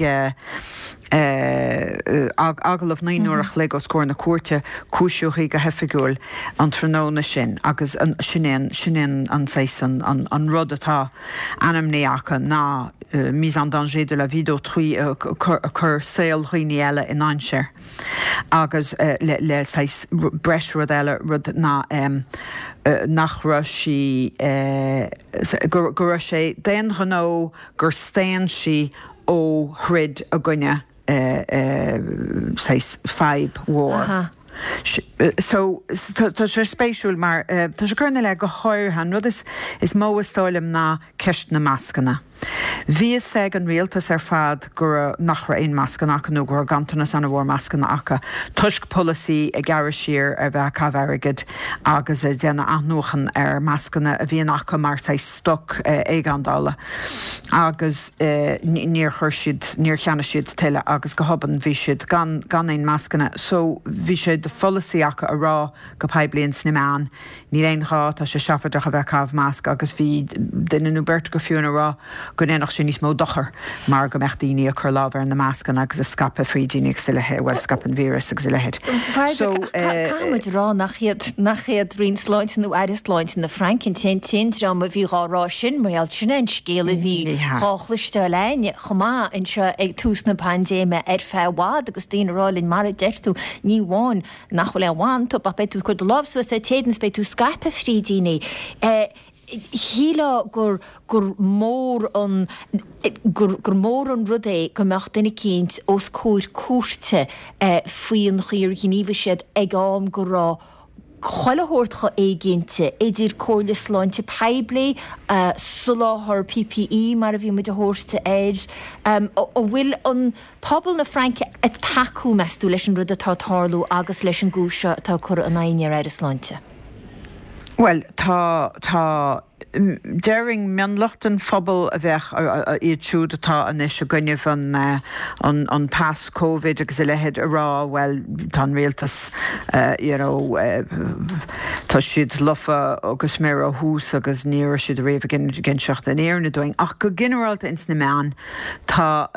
S8: agallamh naoi n-uair a chloig os comhair na cúirte, cúisíodh í go hoifigiúil an tráthnóna sin agus sin é an, sin é an saghas, an rud atá ainmnithe acu ná mise en danger de la vie d'autrui, cur saol dhaoine eile i ndainséar. Agus le le saghas breis rud eile, rud ná nach raibh sí, go go raibh sé d'aon ghnó gur staon sí ó throid i gcoinne saghas fadhb mhór. So tá sé spéisiúil mar tá sé curtha ina leith go háirithe, an rud is is mó is dóigh liom ná ceist na mascanna. Bhí fhios ag an rialtas ar fad go raibh, nach raibh aon mascanna acu nó go raibh ganntanas an-mhór mascanna acu toisc polasaí ag gearradh siar ar bheith ag caitheamh airgid agus ag déanamh athnuachan ar mascanna a bhíonn acu mar saghas stoc éigeandála agus níor chuir siad, níor cheannaigh siad tuilleadh agus go hobann bhí siad gan, gan aon mascanna. So bhí sé de pholasaí acu a rá go poiblí ins na meáin, níl aon ghá, tá sé seafóideach a bheith ag caitheamh masc agus bhí duine nó beirt acu fiú ag rá go ndéanfadh sé níos mó dochair mar go mbeadh daoine ag cur lámh ar na mascanna agus ag scaipeadh frídíní agus a leithéid, bhuel, scaipeadh an víreas agus a leithéid.
S1: So, Caithfidh muid a rá nach iad, nach iad Roinn Sláinte nó Aire Sláinte na Fraince an t-aon t-aon dream a bhí dhá rá sin mar gheall sin é an scéal a bhí dhá chloisteáil a'inn chomh maith anseo ag tús na paindéime ar feadh i bhfad agus daoine ag rá linn mar a deir tú ní amháin nach bhfuil aon mhaith iontu ach beidh tú ag cur do lámh suas ar t'éadan is beidh tú ag scaipeadh frídíní. Shílfeá gur gur mór an gur gur mór an rud é go mbeadh duine eicínt os comhair cúirte faoin chaoi ar ghníomhaigh siad ag am go raibh chuile shórt chomh éiginnte, idir comhairle sláinte poiblí, soláthar P P E mar a bhí muid a thabhairt air. An bhfuil an pobal na Fraince ag tacú, meas tú, leis an rud atá ag tarlú agus leis an gcúis seo atá curtha in aghaidh an iar-aire sláinte?
S8: Bhuel, tá, tá, déarfainn mionlach den phobal a bheadh, iad siúd atá anois i gcoinnibh an, an, an pas Covid agus a leithéid a rá, bhuel, tá an rialtas, you know, tá siad lofa go smior ó thús agus ní raibh siad ariamh ag inseacht an fhírinne dúinn. Ach go ginearálta ins na meáin, tá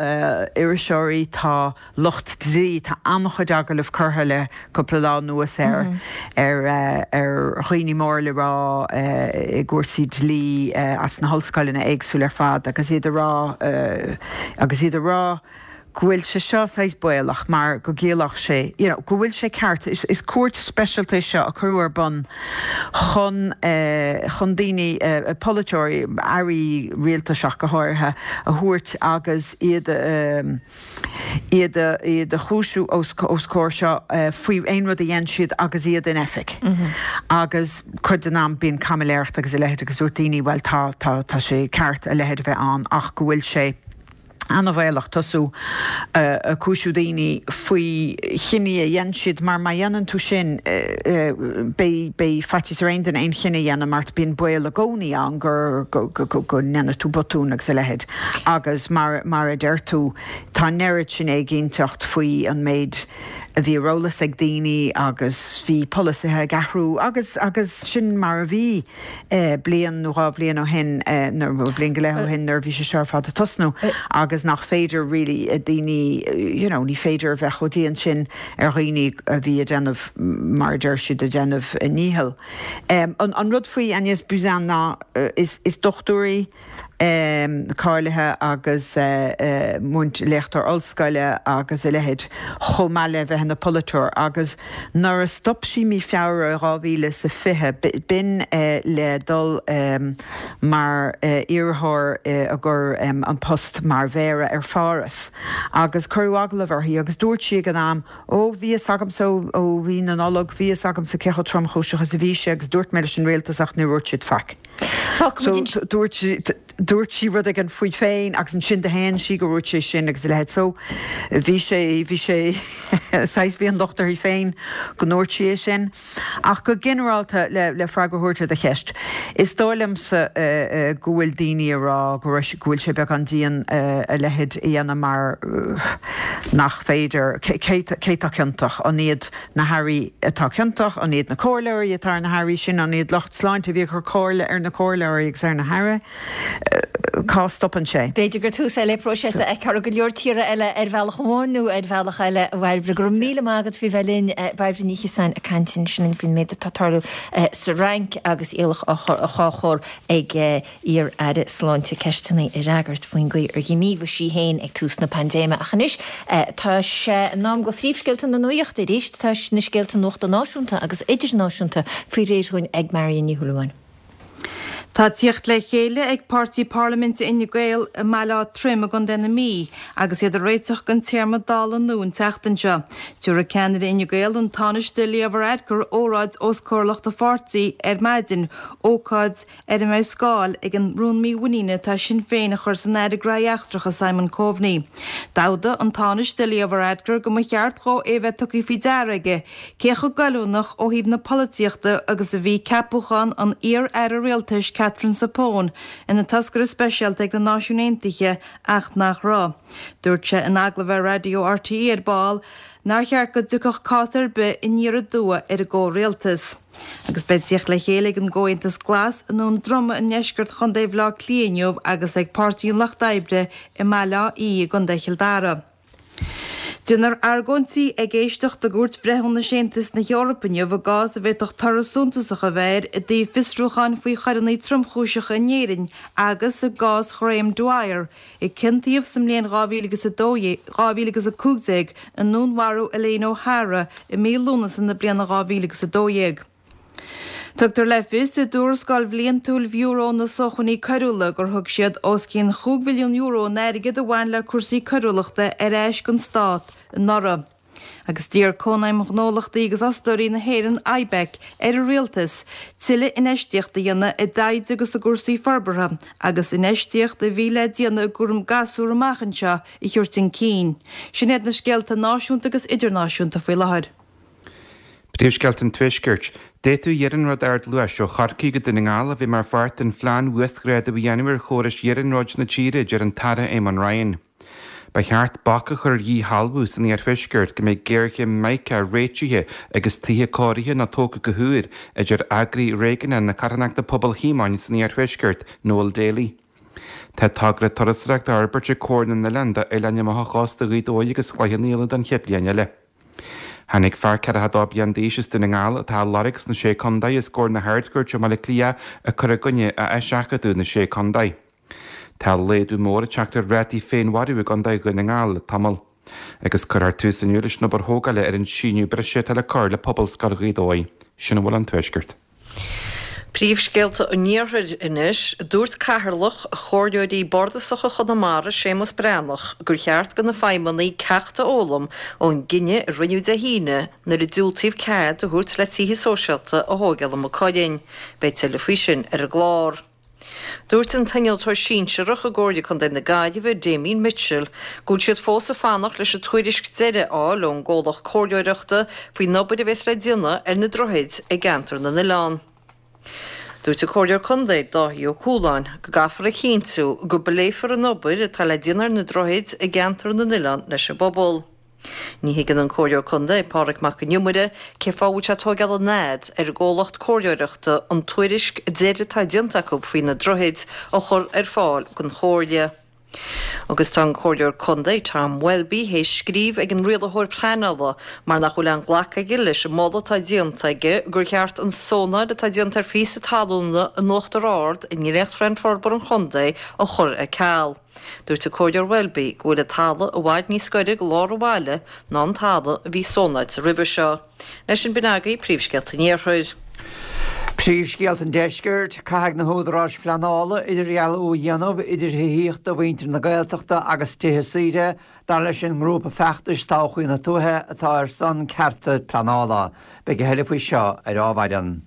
S8: iriseoirí, tá lucht dlí, tá an-chuid agallamh curtha le cúpla lá anuas ar ar ar dhaoine mór le rá i gcúrsaí dlí as na hollscoileanna éagsúla ar fad agus iad a rá agus iad a rá go bhfuil sé seo saghas baolach mar go gciallódh sé, you know, go bhfuil sé ceart, is, is cúirt speisialta é seo a cuireadh ar bun chun, eh, chun daoine, eh, polaiteoirí, airí rialtais ach go háirithe, a thabhairt agus iad a, eh, iad a, iad a chúisiú os, os comhair seo eh, faoi aon rud a dhein siad agus iad in oifig. Mm -hmm. Agus cuid den am bíonn caimiléireacht agus a leithéid agus dúirt daoine, well tá, tá, tá sé ceart a leithéid a bheith ann ach go bhfuil sé an-bhaolach tosú ag cúisiú daoine faoi chinní a dhein siad mar má dhéanann tú sin beidh beidh faitíos ar aon duine aon chinneadh a dhéanamh mar bíonn baol i gcónaí ann gur go go go go ndéanfaidh tú botún agus a leithéid agus mar mar a deir tú tá an oiread sin éiginnteacht faoi an méid a bhí ar eolas ag daoine agus bhí polasaithe ag athrú agus agus sin mar a bhí bliain nó dhá bhliain ó shin nó bliain go leith ó shin nuair a bhí sé seo ar fad ag tosnú agus nach féidir really daoine you know ní féidir a bheith chomh dian sin ar dhaoine a bhí ag déanamh mar a deir siad ag déanamh a ndícheall. An rud faoi Agnès Buzyn ná is is dochtúir í cáilithe agus múint léachtóir ollscoile agus a leithéid, chomh maith le bheith ina polaiteoir, agus nuair a stop sí mí Feabhra dhá mhíle is a fiche, b'in le dul mar iarrthóir i gcomhair an post mar mhéara ar Pháras, agus cuireadh agallamh uirthi agus dúirt sí ag an am, Ó, bhí fhios agamsa ó mhí na Nollag, bhí fhios agamsa cé chomh tromchúiseach is a bhí sé agus dúirt mé leis an rialtas ach níor dhúirt siad faic. So dúirt sí, dúirt sí rud éigin faoi féin agus ansin do shéan sí go ndúirt sí sin agus a leithéid. So bhí sé, bhí sé, saghas, bhí an locht uirthi féin go ndúirt sí é sin. Ach go ginearálta, le, le freagra a thabhairt ar do cheist, is dóigh liomsa go bhfuil daoine ag rá go raibh, go bhfuil sé beagán dian a leithéid a dhéanamh mar nach féidir, cé, cé tá ciontach? An iad na hairí atá ciontach? An iad na comhairleoirí atá ar na hairí sin? An iad lucht sláinte a bhí ag cur comhairle ar na comhairleoirí agus ar na hairí? Cá stopann sé?
S1: B'fhéidir gur tús é le próiseas a fheicfear i go leor tíortha eile ar bhealach amháin nó ar bhealach eile. A Bhairbre, go raibh míle maith agat faoi bheith linn. Bairbre Ní Chiosáin ag caint ansin faoin méid atá ag tarlú sa Fhrainc agus iallach á chur ag iar-aire sláinte ceisteanna a fhreagairt faoin gcaoi ar ghníomhaigh sí féin ag tús na paindéime. Ach anois tá sé in am do phríomhscéalta na nuachta arís. Tá na scéalta nuachta náisiúnta agus idirnáisiúnta faoi réir dhúinn ag Marion Ní Shúilleabháin.
S2: Tá tíocht le chéile ag páirtí parlaiminte Fhine Gael i mBaile Átha Troim i gContae na Mí agus iad ag réiteach don téarma Dála nua an tseachtain seo. Tabharfaidh ceannaire Fhine Gael, an Tánaiste Leo Varadkar, óráid os comhair lucht a pháirtí ar maidin, ócáid ar a mbeidh scáil ag an rún mímhuiníne atá Sinn Féin a chur san Aire Gnóthaí Eachtracha Simon Coveney. D'fhógair an Tánaiste Leo Varadkar go mba cheart dhó é a bheith tugtha faoi deara aige cé chomh goilliúnach ó thaobh na polaitíochta agus a bhí ceapúchán an iar-aire rialtais Katherine Zappone ina toscaire speisialta ag na Náisiúin Aontaithe ach nach raibh. Dúirt sé in agallamh ar Raidió RTÉ ar ball nár cheart go dtiocfadh cás ar bith aniar aduaidh ar an gcomhrialtas. Agus beidh tíocht le chéile ag an gComhaontas Glas i nDún Droma i ndeisceart Chontae Bhaile Átha Cliath inniu agus ag Páirtí an Lucht Oibre i mBaile Átha Í i gContae Chill Dara. Déanfar argóintí ag éisteacht i gCúirt Bhreithiúnais Aontas na hEorpa inniu i gcás a bhféadfadh toradh suntasach a bheith air i dtaobh fiosrúcháin faoi choireanna tromchúiseacha in Éirinn agus i gcás Ghraham Dwyer, a ciontaíodh sa mbliain dhá mhíle agus a dó dhéag, dhá mhíle agus a cúig déag i ndúnmharú Elaine O'Hara i mí Lúnasa na bliana dhá mhíle agus a dó dhéag. Tugtar le fios i dtuarascáil bhliantúil Bhiúró na Sócmhainní Coiriúla gur thug siad os cionn chúig mhilliún euro in airgead a bhain le cúrsaí coiriúlachta ar ais don stát anuraidh. Agus d'iarr Cónaidhm Ghnólachtaí agus Fhostóirí na hÉireann, IBEC, ar an Rialtas tuilleadh infheistíochta a dhéanamh i dtaighde agus i gcúrsaí forbartha agus infheistíocht a bhí le déanamh i gcúram gasúr amach anseo a thabhairt chun cinn. Sin iad na scéalta náisiúnta agus idirnáisiúnta faoi láthair.
S3: Príomhscéalta an Tuaiscirt. D'fhéadfadh iarnród ardluais ó Chorcaigh go Dún na nGall a bheith mar pháirt den phlean uasghrádú a dhéanamh ar chórais iarnróid na tíre, a deir an tAire Eamon Ryan. Ba cheart bac a chur ar dhíshealbhú san iarthuaisceart go mbeidh géarchéim Mica réitithe agus tithe cóirithe nó tógtha go húr, a deir eagraí réigiúnach na Carthanachta Pobal Shíomóin san iarthuaisceart, Noel Daly. Tá togra turasóireachta á fhorbairt ag Comhar na nOileán d'oileáin amach ó chósta Ghaoth Dobhair agus Chloich Cheann Fhaola don chéad bhliain eile. Tháinig fear ceathracha a dó bliain d'aois as Dún na nGall atá á lorg sna Sé Contae os comhair na hArd-Chúirte i mBaile Átha Cliath ag cur i gcoinne a eiseachadadh na Sé Contae. Tá laghdú mór ag teacht ar rátaí féinmharú i gContae Dhún na nGall le tamall. Agus cuirfear tús inniu leis an obair thógála ar an síneadh breise atá le cur le Pobalscoil Ghaoth Dobhair. Sin a bhfuil ón Tuaisceart.
S4: Príomhscéalta an Iarthair anois, dúirt Cathaoirleach Chomhairleoirí Bardasacha Chonamara, Séamus Breathnach, gur cheart do na feidhmeannaigh ceacht a fhoghlaim ón gcinneadh a rinneadh Dé hAoine nuair a diúltaíodh cead a thabhairt le tithe sóisialta a thógáil i Maigh Cuilinn. Beidh tuilleadh faoi sin ar an gclár. Dúirt an t-innealtóir sinsearach i gComhairle Contae na Gaillimhe, Damien Mitchell, go bhfuil siad fós ag fanacht leis an tuairisc deiridh a fháil ón gcomhlacht comhairleoireachta faoin obair a bheas le déanamh ar na droichid i gceantar na n-oileán. Dúirt an Comhairleoir Contae, Dáithí Ó Cualáin, go gcaithfear a chinntiú go bpléifear an obair atá le déanamh ar na droichid i gceantar na n-oileán leis an bpobal. Ní thuigeann an Comhairleoir Contae, Pádraig Mac Con Iomaire, cén fáth a bhfuil sé ag tógáil an fhad ar an gcomhlacht comhairleoireachta an tuairisc deiridh atá déanta acu faoi na droichid a chur ar fáil don Chomhairle. Agus tá an Comhairleoir Contae, Tom Welby, théis scríobh ag an Rialaitheoir Pleanála mar nach bhfuil aon ghlacadh aige leis an moladh atá déanta aige gur cheart an zónáil atá déanta ar phíosa talúna in Uachtar Ard i ndréachtphlean forbartha an chontae a chur ar ceal. Dúirt an Comhairleoir Welby go bhfuil an talamh i bhfad níos gaire go lár an bhaile ná an talamh a bhí zónáilte roimhe seo. Leis sin b'in agaibh príomhscéalta an Iarthair.
S5: Príomhscéalta an Deiscirt, Caithfidh na húdaráis phleanála idirdhealú a dhéanamh idir thithíocht do mhuintir na Gaeltachta agus tithe saoire, dar leis an ngrúpa feachtais Todhchaí na Tuaithe atá ar son cearta pleanála. Beidh a thuilleadh faoi seo ar Adhmhaidin.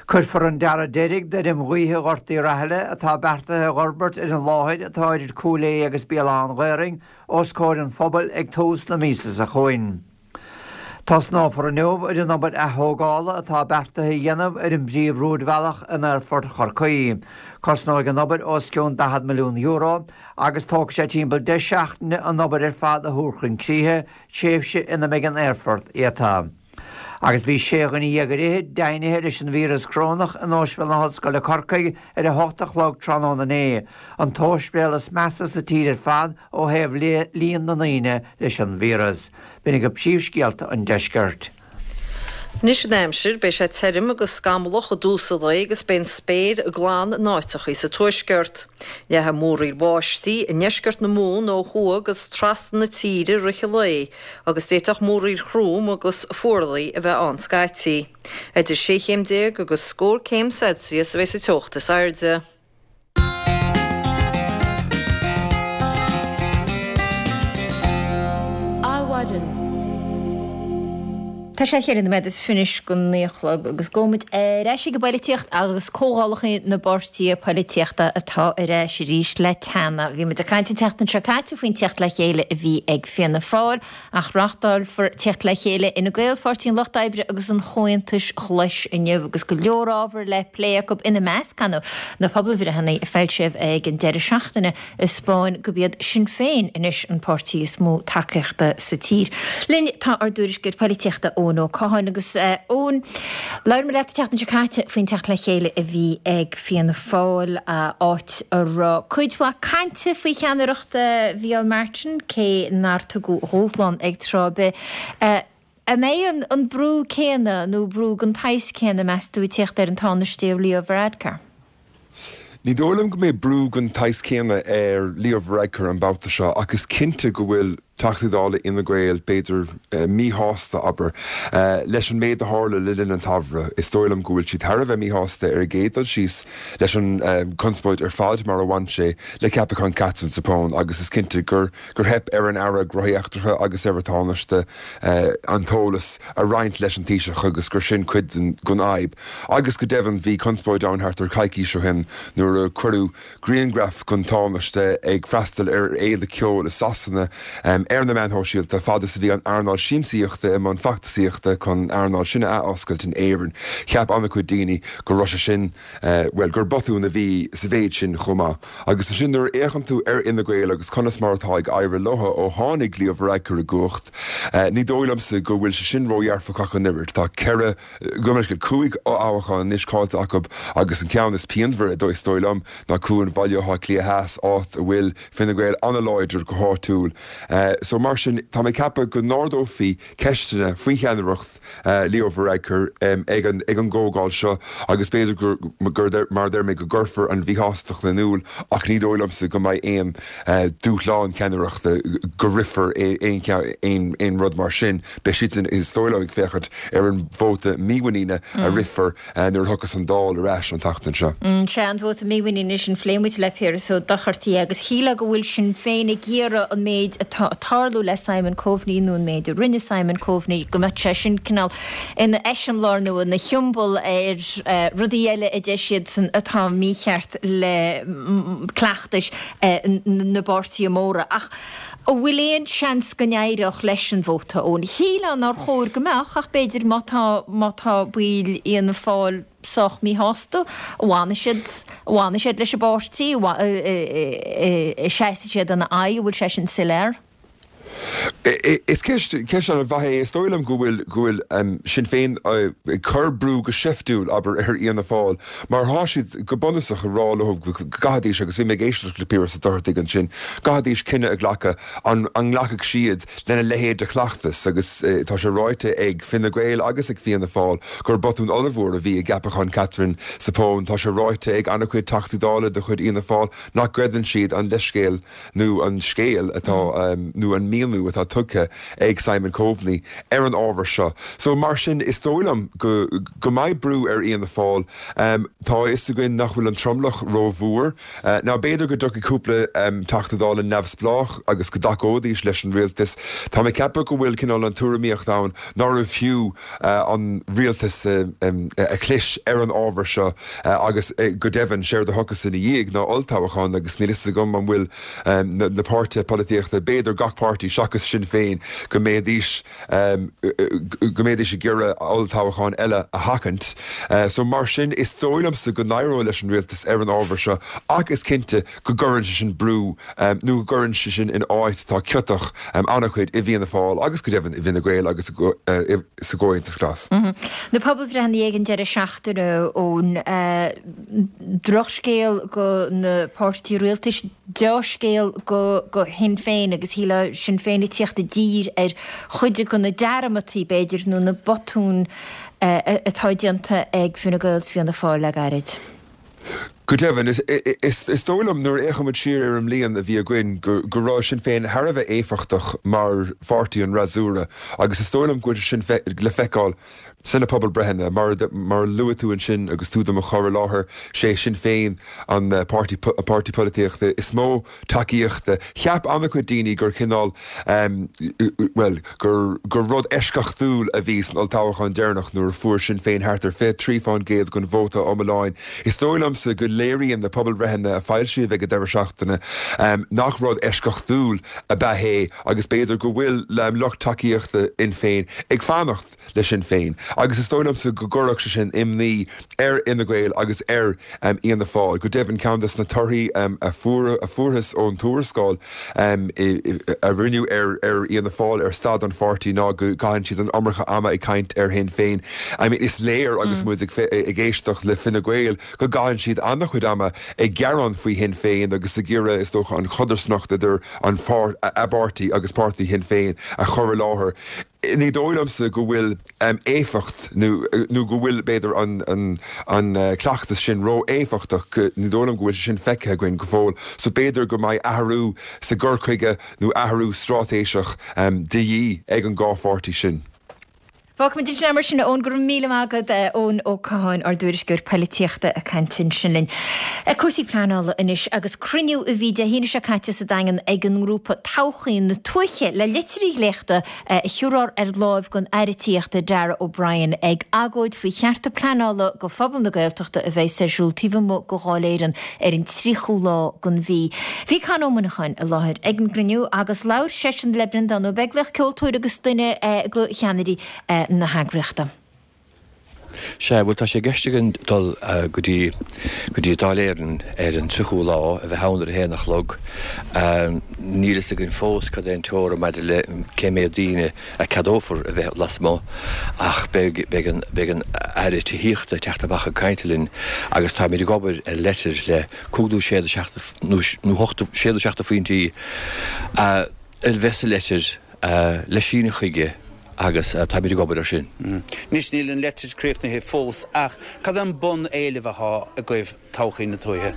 S5: Cuirfear an dearadh deiridh d'fheirm ghaoithe Ghort Uí Rathaille atá beartaithe a fhorbairt ar an láthair atá idir Cúil Aodha agus Béal Átha an Ghaorthaidh os comhair an phobail ag tús na míosa seo chugainn. Tosnófar inniu ar an obair ath-thógála atá beartaithe a dhéanamh ar an bpríomh-rúidbhealach in Aerfort Chorcaí. Cosnóidh an obair os cionn daichead milliún euro agus tógfaidh sé timpeall deich seachtaine an obair ar fad a thabhairt chun críche, tréimhse ina mbeidh an aerfort iata. Agus bhí sé dhuine dhéag ar fhichid deimhnithe leis an víreas corónach in Ospidéal na hOllscoile Corcaigh ar a hocht a chlog tráthnóna inné, an t-ospidéal is measa sa tír ar fad ó thaobh líon na ndaoine leis an víreas. B'in agaibh príomhscéalta an deiscirt.
S4: Anois an aimsir, beidh sé tirim agus scamallach i dtús an lae agus beidh an spéir glan in áiteachaí sa tuaisceart. Leathfaidh múraíl bháistí i ndeisceart na Mumhan ó thuaidh agus trasna na tíre i rith an lae agus d'fhéadfadh múraíl throm agus fuarlaigh a bheith ann scaití. Idir sé chéim déag agus scór céim Celsius a bheidh sa teocht is airde.
S1: Adhmhaidin. Tá sé cheithre nóiméad is fiche anois go naoi a chlog agus gabhfaimid ar ais ag an bpoilitíocht agus comhdhálacha na bpáirtithe poilitíochta atá ar ais arís le teannadh. Bhí muid ag caint an tseachtain seo caite faoin tíocht le chéile a bhí ag Fianna Fáil ach reáchtálfar tíocht le chéile Fhine Gael, Pháirtí an Lucht Oibre agus an Chomhaontais Ghlais inniu agus go leor ábhar le plé acu ina measc, ar ndóigh, na pobalbhreitheanna a foilsíodh ag an deireadh seachtaine a 'spáin gurb iad Sinn Féin anois an páirtí is mó tacaíochta sa tír. Linn tá ár dtuairisceoir poilitíochta Eoin Ó Catháin agus Eoin, labhair mé leat an tseachtain seo caite faoin teacht le chéile a bhí ag Fianna Fáil, áit a raibh cuid mhaith cainte faoi cheannaireacht Mhicheál Martin, cé nár tugadh dúshlán ag tráth ar bith. An mbeidh an brú céanna nó brú den tsaghas céanna, meas tú, ag tíocht ar an Tánaiste Leo Varadkar?
S9: Ní dóigh liom go mbeidh brú den tsaghas céanna ar Leo Varadkar an babhta seo ach is cinnte go bhfuil Teachtaí Dála Fhine Gael, b'fhéidir, míshásta, abair, leis an méid a tharla le linn an tsamhraidh. Is dóigh liom go bhfuil siad thar a bheith míshásta ar an gcéad dul síos leis an chonspóid ar fad mar a bhain sé le ceapachán Catherine Zappone agus is cinnte gur gur theip ar an Aire Gnóthaí Eachtracha agus ar an Tánaiste an t-eolas a roinnt leis an Taoiseach agus gur sin cuid den fhadhb. Agus go deimhin bhí conspóid ann thart ar coicís ó shin nuair a cuireadh grianghraf den Tánaiste ag freastal ar fhéile ceoil i Sasana ar na meáin shóisialta fad is a bhí an earnáil siamsaíochta i mbun feachtasaíochta chun an earnáil sin a athoscailt in Éirinn. Cheap an-chuid daoine go raibh sé sin, bhuel, gur botún a bhí sa mhéid sin chomh maith. Agus ansin nuair a fhéachann tú ar Fhine Gael agus conas mar atá ag éirí leo ó tháinig Leo Varadkar i gcumhacht, ní dóigh liomsa go bhfuil sé sin ródhearfach ach an oiread. Tá ceithre, gabh mo leithscéal, cúig fhothoghchán anois caillte acu agus an ceann is pianmhaire, is dóigh liom, ná cuan Bhaile Átha Cliath Theas, áit a bhfuil Fine Gael an-láidir go háitiúil. So mar sin, tá mé ag ceapadh go n-ardófaí ceisteanna faoi cheannaireacht Leo Varadkar ag an ag an gcomhdháil seo agus b'fhéidir gur, gur, mar a deir mé, go gcuirfear an mhíshástacht in iúl ach ní dóigh liomsa go mbeidh aon dúshlán ceannaireachta, go rithfear aon aon rud mar sin. Beidh siadsan, is dóigh liom, ag féachaint ar an vóta mímhuiníne a rithfear nuair a thiocfas an Dáil ar ais an tseachtain seo.
S1: Sea, an vóta mímhuiníne sin, phléigh muid le Piaras Ó Dochartaigh agus shílfeá go bhfuil Sinn Féin ag iarraidh an méid atá ag tarlú le Simon Coveney nó an méid a rinne Simon Coveney, go mbeadh sé sin cineál ina eiseamláir nó ina shiombail ar rudaí eile a deir siadsan atá mícheart le cleachtais na bpáirtithe móra. Ach an bhfuil aon seans go n-éireodh leis an vóta, Eoin? Shílfeá nár chóir go mbeadh ach b'fhéidir má tá má tá baill Fhianna Fáil sách míshásta, an bhfanfaidh siad, an bhfanfaidh siad leis an bpáirtí, an seasfaidh siad ina aghaidh, an bhfuil sé sin soiléir?
S9: Is ceist ceist an-mhaith é. Is dóigh liom go bhfuil go bhfuil Sinn Féin ag cur brú go seiftiúil, abair, ar Fhianna Fáil mar tá siad go bunúsach ag rá leo go gcaithfidís, agus bhí mé ag éisteacht le Piaras Ó Dochartaigh ansin, gcaithfidís cinneadh a ghlacadh an an nglacfadh siad lena leithéid de chleachtas agus tá sé ráite ag Fine Gael agus ag Fianna Fáil gur botún ollmhór a bhí i gceapachán Catherine Zappone. Tá sé ráite ag an-chuid Teachtaí Dála de chuid Fhianna Fáil nach gcreideann siad an leithscéal nó an scéal atá nó an míniú atá tugtha ag Simon Coveney ar an ábhar seo. So mar sin is dóigh liom go go mbeidh brú ar Fhianna Fáil. Tá a fhios againn nach bhfuil an tromlach rómhór. Now b'fhéidir go dtiocfaidh cúpla Teachta Dála neamhspleách agus go dtacóidís leis an rialtas. Tá mé ag ceapadh go bhfuil cineál an tuairimíocht ann nárbh fhiú an rialtas a chlis ar an ábhar seo agus go deimhin séard a thiocfas ina dhiaidh ná olltoghchán agus níl fhios agam an bhfuil na páirtithe polaitíochta, b'fhéidir gach páirtí seachas Sinn Féin, go mbeidís go mbeidís ag iarraidh olltoghchán eile a sheachaint. So mar sin is dóigh liomsa go n-éireoidh leis an rialtas ar an ábhar seo ach is cinnte go gcuireann sé sin brú nó go gcuireann sé sin in áit atá ciotach an-chuid i bhFianna Fáil agus go deimhin i bhFine Gael agus sa gComhaontas Glas.
S1: Na pobalbhreitheanna ag an deireadh seachtaine ón drochscéal go na páirtithe rialtais, deá-scéal go go Shinn Féin agus shílfeá Sinn Féin ag tíocht i dtír ar chuid de na dearmadtaí, b'fhéidir, nó na botúin atá déanta ag Fine Gael 's Fianna Fáil le gairid.
S9: Go deimhin, is dóigh liom nuair a fhéachaimid siar ar an mbliain a bhí againn go go raibh Sinn Féin thar a bheith éifeachtach mar pháirtí an fhreasúra agus is dóigh liom go bhfuil sé sin le feiceáil sna pobalbreitheanna. Mar mar a luaigh tú ansin agus tú do mo chur i láthair, sé Sinn Féin an páirtí páirtí polaitíochta is mó tacaíochta. Cheap an-chuid daoine gur cineál, bhuel, gur gur rud eisceachtúil a bhí san olltoghchán deireanach nuair a fuair Sinn Féin thart ar fiche trí fán gcéad den vóta iomláin. Is dóigh liomsa go léiríonn na pobalbhreitheanna a foilsíodh ag an deireadh seachtaine nach rud eisceachtúil ab ea é agus b'fhéidir go bhfuil lucht tacaíochta Fhinn Féin ag fanacht le Sinn Féin agus is dóigh liomsa go gcuirfeadh sé sin imní ar Fhine Gael agus ar Fhianna Fáil. Go deimhin, ceann de na torthaí a fuarthas ón tuarascáil a rinneadh ar Fhianna Fáil ar staid an pháirtí ná go gcaitheann siad an iomarca ama ag caint ar Shinn Féin. I mean, is léir agus muid ag éisteacht le Fine Gael go gcaitheann siad an-chuid ama ag gearán faoi Shinn Féin agus ag iarraidh, is dócha, an chodarsnacht idir an a bpáirtí agus páirtí Shinn Féin a chur i láthair. Ní dóigh liomsa go bhfuil éifeacht nó nó go bhfuil, b'fhéidir, an an an cleachtas sin ró-éifeachtach. Ní dóigh liom go bhfuil sé sin feicthe againn go fóill. So b'fhéidir go mbeidh athrú sa gcur chuige nó athrú straitéiseach de dhíth ag an dhá pháirtí sin.
S1: Fágfaimid ansin é mar sin, a Eoin. Go raibh míle maith agat, Eoin Ó Catháin, ár dtuairisceoir poilitíochta ag caint ansin linn. Cúrsaí pleanála anois agus cruinniú a bhí Dé haoine seo caite sa Daingean ag an ngrúpa Todhchaí na Tuaithe le litir dhléachta a chur ar láimh don Aire Tithíochta Darragh O'Brien ag agóid faoi chearta pleanála go phobal na Gaeltachta a bheas ar siúl taobh amuigh de Dháil Éireann ar an tríochú lá den mhí. Bhí Con Ó Muineacháin i láthair ag an gcruinniú agus labhair seisean le Breandán Ó Beaglaoich, ceoltóir agus duine de cheannairí na heagraíochta.
S10: Sea, bhuel tá sé i gceist againn dul go dtí, go dtí Dáil Éireann ar an tríochú lá, a bheith ann ar a haon a chlog. Níl fhios againn fós cad é an teora maidir le cé méad daoine a ceadófar a bheith lasmuigh ach beidh, beidh an, beidh an Aire Tithíochta ag teacht amach ag caint linn agus táimid ag obair ar leitir le cúig nó sé nó seacht, nó ocht, sé nó seacht de phointí a, a bheith sa leitir le síneadh chuige agus táimid ag obair ar sin.
S11: Anois níl an leitir críochnaithe fós ach cad é an bun-éileamh athá agaibh todhchaí na tuaithe?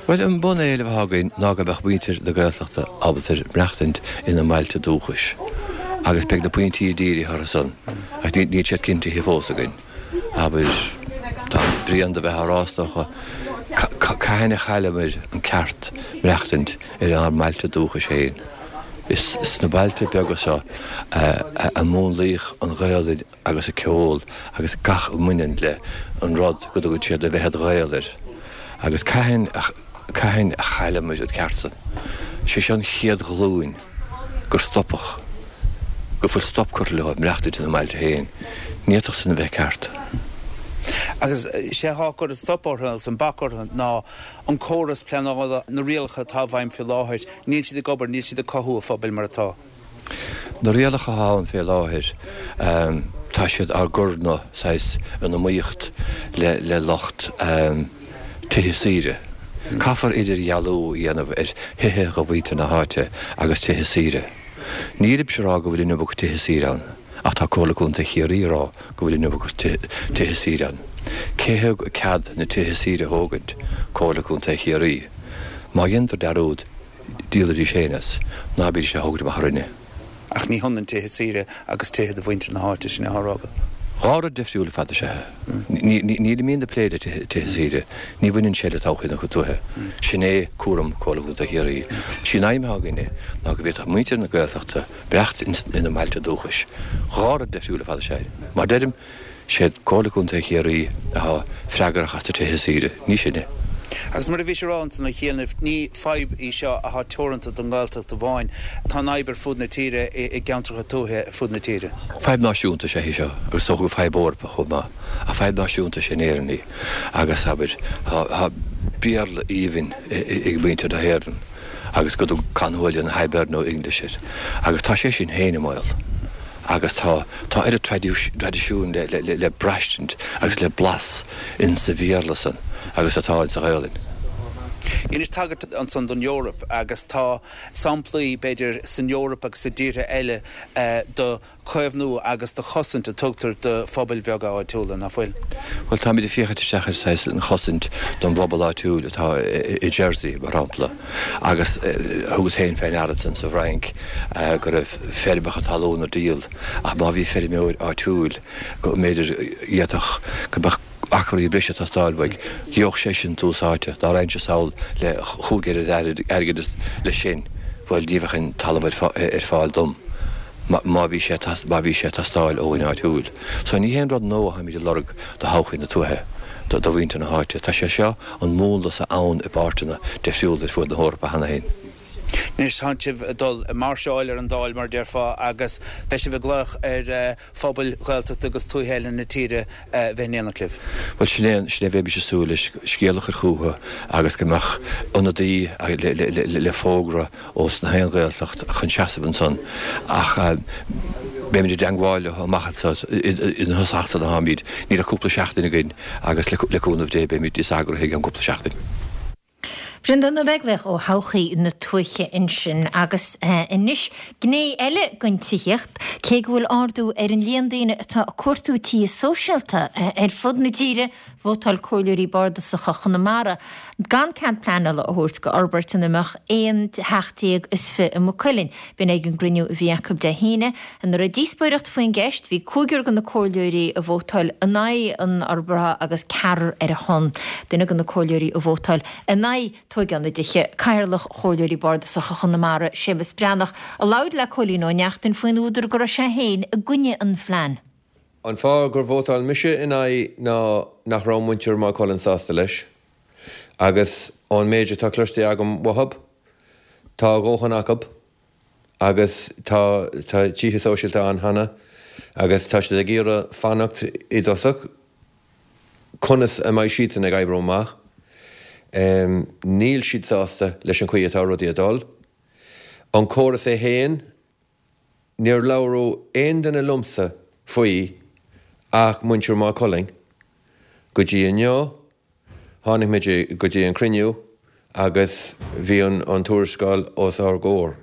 S10: Bhuel an bun-éileamh athá againn ná go mbeadh muintir na Gaeltachta ábalta maireachtaint ina mbailte dúchais agus beidh na pointí dírithe orthu san ach níl siad cinntithe fós againn. Abair, tá bréan de bheith á rá is dócha, cathain a chailleamar an ceart maireachtaint ar ár mbailte dúchais féin? Is sna bailte beaga seo a múnlaíodh an Ghaelainn agus an ceol agus gach a mbaineann le an rud go dtugann siad a bheith id Ghael air. Agus cathain cathain a chailleamar an ceart san? Sé seo an chéad ghlúin gur stopadh, go bhfuil stop curtha leo maireachtaint ina mbailte féin. Ní fhéadfadh sin a bheith ceart.
S11: Agus sé atá ag cur an stop orthu agus an bac orthu ná an córas pleanála, na rialacha atá i bhfeidhm faoi láthair, níl siad ag obair, níl siad ag cothú an phobail mar atá.
S10: Na rialacha atá ann fé láthair, tá siad ár gcur na, saghas, in iomaíocht le, le lucht tithe saoire. Caithfear idirdhealú a dhéanamh ar thithe dho mhuintir na háite agus tithe saoire. Nílimse a rá go bhfuil an iomarca tithe saoire ann. Ach tá Comhairle Contae Chiarraí ag rá go bhfuil an iomarca tithe saoire ann. Cé thug cead na tithe saoire a thógaint? Comhairle Contae Chiarraí. Má dhéantar dearúd, díolaidís féin as. Ná bídís á thógaint amach orainne.
S11: Ach ní hionann tithe saoire agus tithe do mhuintir na háite, sin é atá á rá agat.
S10: Dhá rud difriúil ar fad is ea. Nílimidne ag plé le tithe saoire. Ní bhaineann sé le todhchaí na tuaithe. Sin é cúram Comhairle Contae Chiarraí. Sí an aidhm atá againne ná go bhféadfadh muintir na Gaeltachta maireachtaint ina mbailte dúchais. Dhá rud difriúil ar fad is ea é. Mar deirim, sé Comhairle Contae Chiarraí atá freagrach as na tithe saoire, ní sinne.
S11: Agus mar a bhís ag rá ansan a chianaibh, ní fadhb í seo athá teoranta don nGaeltacht amháin. Tá an fhadhb ar fud na tíre, i gceantracha tuaithe ar fud na tíre.
S10: Fadhb náisiúnta is ea í seo, agus is dócha gur fadhb Eorpach chomh maith, ach fadhb náisiúnta is ea in Éirinn í. Agus, abair, tá Béarla aoibhinn ag muintir na hÉireann agus go dtug Con Houlihan Hiberno English air. Agus tá sé sin féin i mbaol. Agus tá, tá oiread traidisiúin le, le, le braistint agus le blas in sa Bhéarla san agus atá in sa Ghaolainn.
S11: Dheinis tagairt ansan don Eoraip agus tá samplaí, b'fhéidir, san Eoraip agus i dtíortha eile do chaomhnú agus do chosaint a tugtar do phobail bheaga áitiúla, nach bhfuil?
S10: Bhuel, táimid ag féachaint isteach ar saghas an chosaint don bpobal áitiúil atá i Jersey, mar shampla, agus thugas féin fé ndeara ansan sa bhFrainc go raibh feirmeacha talún ar díol ach má bhí feirmeoir áitiúil go mb'fhéidir d'fhéadfadh go mbeadh acraí breise ag teastáil uaidh, gheobhadh seisean tús áite. Dá raghainnse sall le chúig oiread airgid leis sin, bhuel, ní bheadh an talamh ar fáil dom. má bhí sé má bhí sé ag teastáil ó dhuine áitiúil. So ní haon rud nua atáimid ag lorg do thodhchaí na tuaithe, do do mhuintir na háite. Tá sé seo, an múnla seo ann i bpáirteanna difriúla ar fuaid na hEorpa cheana féin.
S11: Anois tá sibh ag dul ag máirseáil ar an Dáil mar a déarfá agus beidh sibh ag glaoch ar phobail Ghaeltachta agus tuaithe eile na tíre a bheith in éineacht libh.
S10: Bhuel sin é, sin é a bheimis ag súil leis, scéal a chur chucu agus go mbeadh ionadaí le le le le fógra ós na haon Ghaeltacht chun seasamh ansan ach beimid i dteangmháil leo amach anso ina thosach san atáimid. Níl ach cúpla seachtain againn agus le cúnamh Dé beimid níos eagraithe i gceann cúpla seachtain.
S1: Breandán Ó Beaglaoich ó Thodhchaí na Tuaithe ansin. Agus anois gné eile den tithíocht, cé go bhfuil ardú ar an líon daoine atá ag cuartú tithe sóisialta ar fud na tíre, Vótáil Comhairleoirí Bardasacha Chonamara gan cead pleanála a thabhairt go fhorbairt ina mbeadh aon theach déag is fiche i Maigh Cuilinn. B'in ag an gcruinniú a bhí acu Dé hAoine. Ina raibh díospóireacht faoin gceist, bhí cúigear de na comhairleoirí a vótáil in aghaidh an fhorbartha agus ceathrar ar a shon. Duine de na comhairleoirí a vótáil in aghaidh tóigeáil na dtithe, Cathaoirleach Chomhairleoirí Bardasacha Chonamara, Séamus Breathnach, a labhair le Cóilín Ó Neachtain faoin údar go raibh sé féin i gcoinne an phlean.
S12: An fáth gur vótáil mise in aghaidh ná nach raibh muintir Maigh Cuilinn sásta leis. Agus ón méid atá cloiste agam uathub, tá a dhóthain acub agus tá tá tithe sóisialta ann cheana agus tá siad ag iarraidh fanacht i dtosach conas a mbeidh siadsan ag oibriú amach. Níl siad sásta leis an chaoi atá rudaí ag dul. An córas é féin, Níor labhradh aon duine liomsa faoi ach muintir Maigh Cuilinn go dtí inniu. Tháinig muid go dtí an cruinniú agus bhí an tuarascáil os ár gcomhair.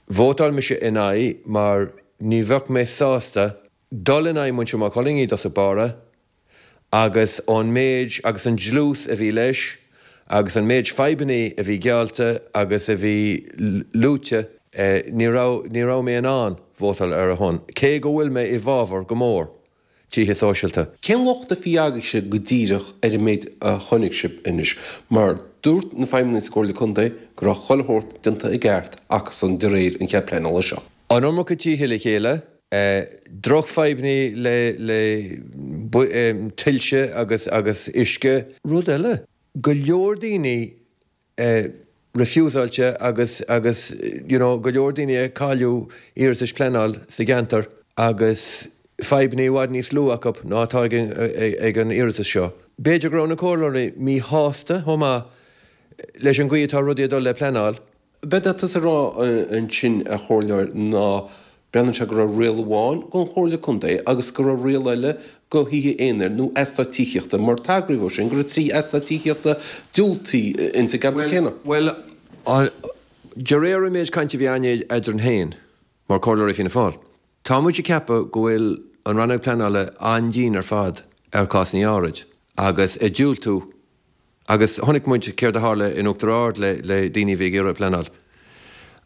S12: Vótáil mise in aghaidh mar ní bheadh mé sásta dul in aghaidh muintir Maigh Cuilinn i dtosach báire agus an méid agus an dlús a bhí leis agus an méid fadhbanna a bhí geallta agus a bhí luaite, ní raibh, ní raibh mé in ann vótáil ar a shon, cé go bhfuil mé i bhfabhar go mór tithe sóisialta.
S13: Cén locht a bhí agaibhse go díreach ar an méid a chonaic sibh anois? Mar dúirt na feidhmeannaigh sa gComhairle Contae go raibh chuile shórt déanta i gceart acusan de réir an chead pleanála seo.
S12: An iomarca tithe le chéile, drochfhadhbanna le le tuilte agus agus uisce. Rud eile, go leor daoine refusáilte agus agus you know go leor daoine ag cailleadh iarratais pleanáil sa gceantar agus fadhbanna i bhfad níos lú acu ná atá ag ag an iarratas seo. B'fhéidir go raibh na comhairleoirí míshásta chomh maith leis an gcaoi atá rudaí ag dul le pleanáil.
S13: B'fhéidir tusa a rá ansin a chomhairleoir ná breathnaíonn sé go raibh riail amháin gon Chomhairle Contae agus go raibh riail eile go thithe aonair nó eastát tithíochta mar tagraíodh dó sin go raibh trí eastát tithíochta diúltaithe ins an gceantar céanna.
S12: Bhuel, de réir an méid cainte a bhí againn eadrainn féin mar chomhairleoirí Fianna Fáil, tá muid ag ceapadh go bhfuil an Rannóg Pleanála an-dian ar fad ar cásanna áirid agus ag diúltú Agus chonaic muid céard a tharla in Uachtar Ard le le daoine a bhí ag iarraidh pleanáil.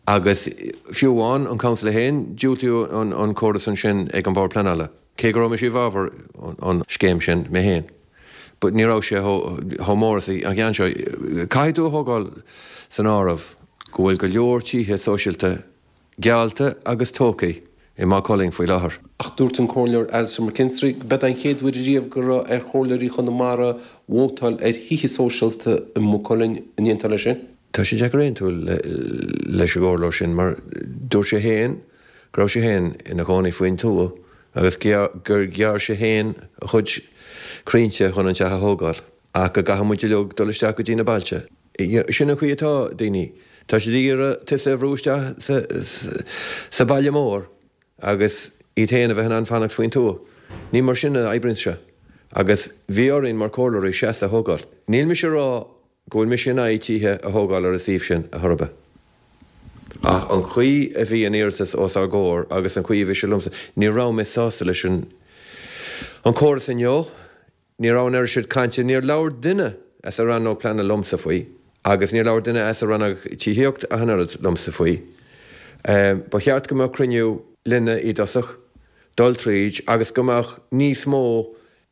S12: Agus fiú amháin an Council é féin, diúltaíodh an an córas ansin ag an Bord Pleanála. Cé go raibh mise i bhfabhar an scéim sin mé féin. But ní raibh sé chomh mór is an ceann seo. Caithfidh tú a thógáil san áireamh go bhfuil go leor tithe sóisialta geallta agus tógtha i Maigh Cuilinn faoi láthair.
S13: Ach dúirt an Comhairleoir Alastair McKinstry go b'é an chéad uair ariamh go raibh ar chomhairleoirí Chonamara vótáil ar thithe sóisialta i Maigh Cuilinn. An aontófá leis sin?
S12: Tá sé deacair aontú leis an gcomhairleoir sin mar dúirt sé féin go raibh sé féin ina chónaí faoin tuath agus gur ghearr sé féin a chuid crainnte chun an teach a thógáil ach go gcaithfidh muid uilig dul isteach go dtí na bailte. Sin an chaoi atá daoine. Tá siad ag iarraidh tusa a bhrú isteach sa baile mór agus iad féin a bheith in ann fanacht faoin tuath. Ní mar sin a oibríonn sé. Agus bhí orainn mar chomhairleoirí seasamh a thógáil. Níl mise ag rá go bhfuil mise in aghaidh tithe a thógáil ar an suíomh sin ar chor ar bith. Ach an chaoi a bhí an iarratas os ár gcomhair agus an chaoi a bhí sé liomsa, ní raibh mé sásta leis an córas inniu. Ní raibh an oiread sin cainte, níor labhair duine as an rannóg pleanála liomsa faoi agus níor labhair duine as an rannóg tithíocht ach an oiread liomsa faoi. Ba cheart go mbeadh cruinniú linne i dtosach, dul tríd agus go mbeadh níos mó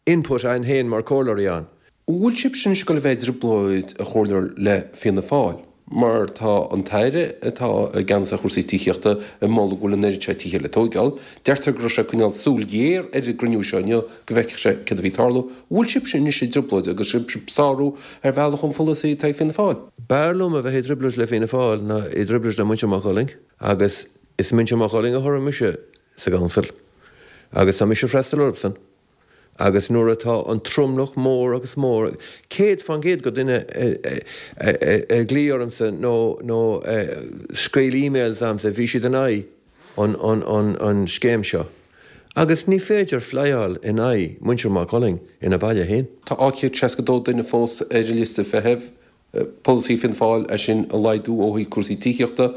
S12: input againn féin mar chomhairleoirí ann.
S13: An bhfuil sibhse anois ag dul a bheith i dtrioblóid, a chomhairleoir, le Fianna Fáil? Mar tá an tAire atá i gceannas ar chúrsaí tithíochta ag moladh go bhfuil an oiread seo tithe le tóigeáil. Deirtear go raibh sé ag coinneáil súil ghéar ar an gcruinniú seo inniu go bhfeicfeadh sé céard a bhí ag tarlú. An bhfuil sibhse anois i dtrioblóid agus sibh ag sárú ar bhealach an pholasaí atá ag Fianna Fáil?
S12: B'fhearr liom a bheith i dtrioblóid le Fianna Fáil ná i dtrioblóid le muintir Mhaigh Cuilinn agus is muintir Mhaigh Cuilinn a thoghadh mise sa gcouncil agus tá mise ag freastal orthusan. Agus nuair atá an tromlach mór agus mór, céad fán gcéad go daoine a ghlaoigh ormsa nó nó a scríobh emails a'msa, bhí siad in aghaidh an an an scéim seo. Agus ní féidir flyáil in aghaidh muintir Maigh Cuilinn ina baile féin.
S13: Tá dhá chéad seasca dó duine fós ar an liosta feithimh. Polasaí Fianna Fáil é sin a laghdú ó thaobh cúrsaí tithíochta.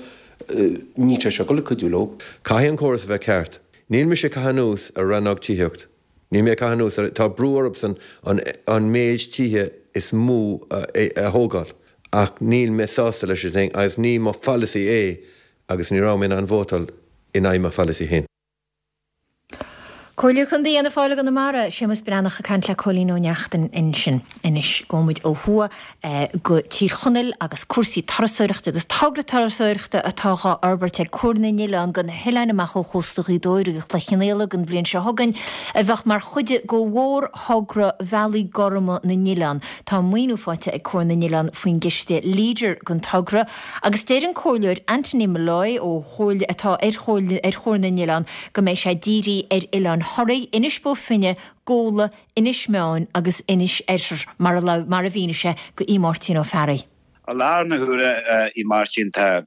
S13: Níl sé seo ag dul ag cuidiú leo.
S12: Caithfidh an córas a bheith ceart. Níl mise ag caitheamh anuas ar rannóg tithíocht. Níl mé ag caitheamh anuas ar, tá brú orthusan an méid tithe is mó a thógáil ach níl mé sásta leis an thing agus ní mo pholasaí é agus ní raibh mé in ann vótáil in aghaidh mo pholasaí féin.
S1: Comhairleoir Contae Fhianna Fáil i gConamara, Séamus Breathnach ag caint le Cóilín Ó Neachtain ansin. Anois gabhfaidh muid ó thuaidh go Tír Chonaill agus cúrsaí turasóireachta agus togra turasóireachta atá dhá fhorbairt ag Comhar na nOileán go na hoileáin amach ó chósta Ghaoth Dobhair agus Chloich Cheann Fhaola don bhliain seo chugainn a bheadh mar chuid de mhórthogra Bhealaí Gorma na nOileán. Tá maoiniú faighte ag Comhar na nOileán faoin gciste Leader don togra agus deir an Comhairleoir Anthony Molloy ó Chomhairle atá ar Chomhairle ar Chomhar na nOileán go mbeidh sé dírithe ar oileáin Thoraí, Inis Bó Finne, Gabhla, Inis Meáin agus Inis Oirthir mar a mar a mhínigh sé do Aodh Máirtín Ó Fearraigh.
S14: I láthair na huaire, a Mháirtín, tá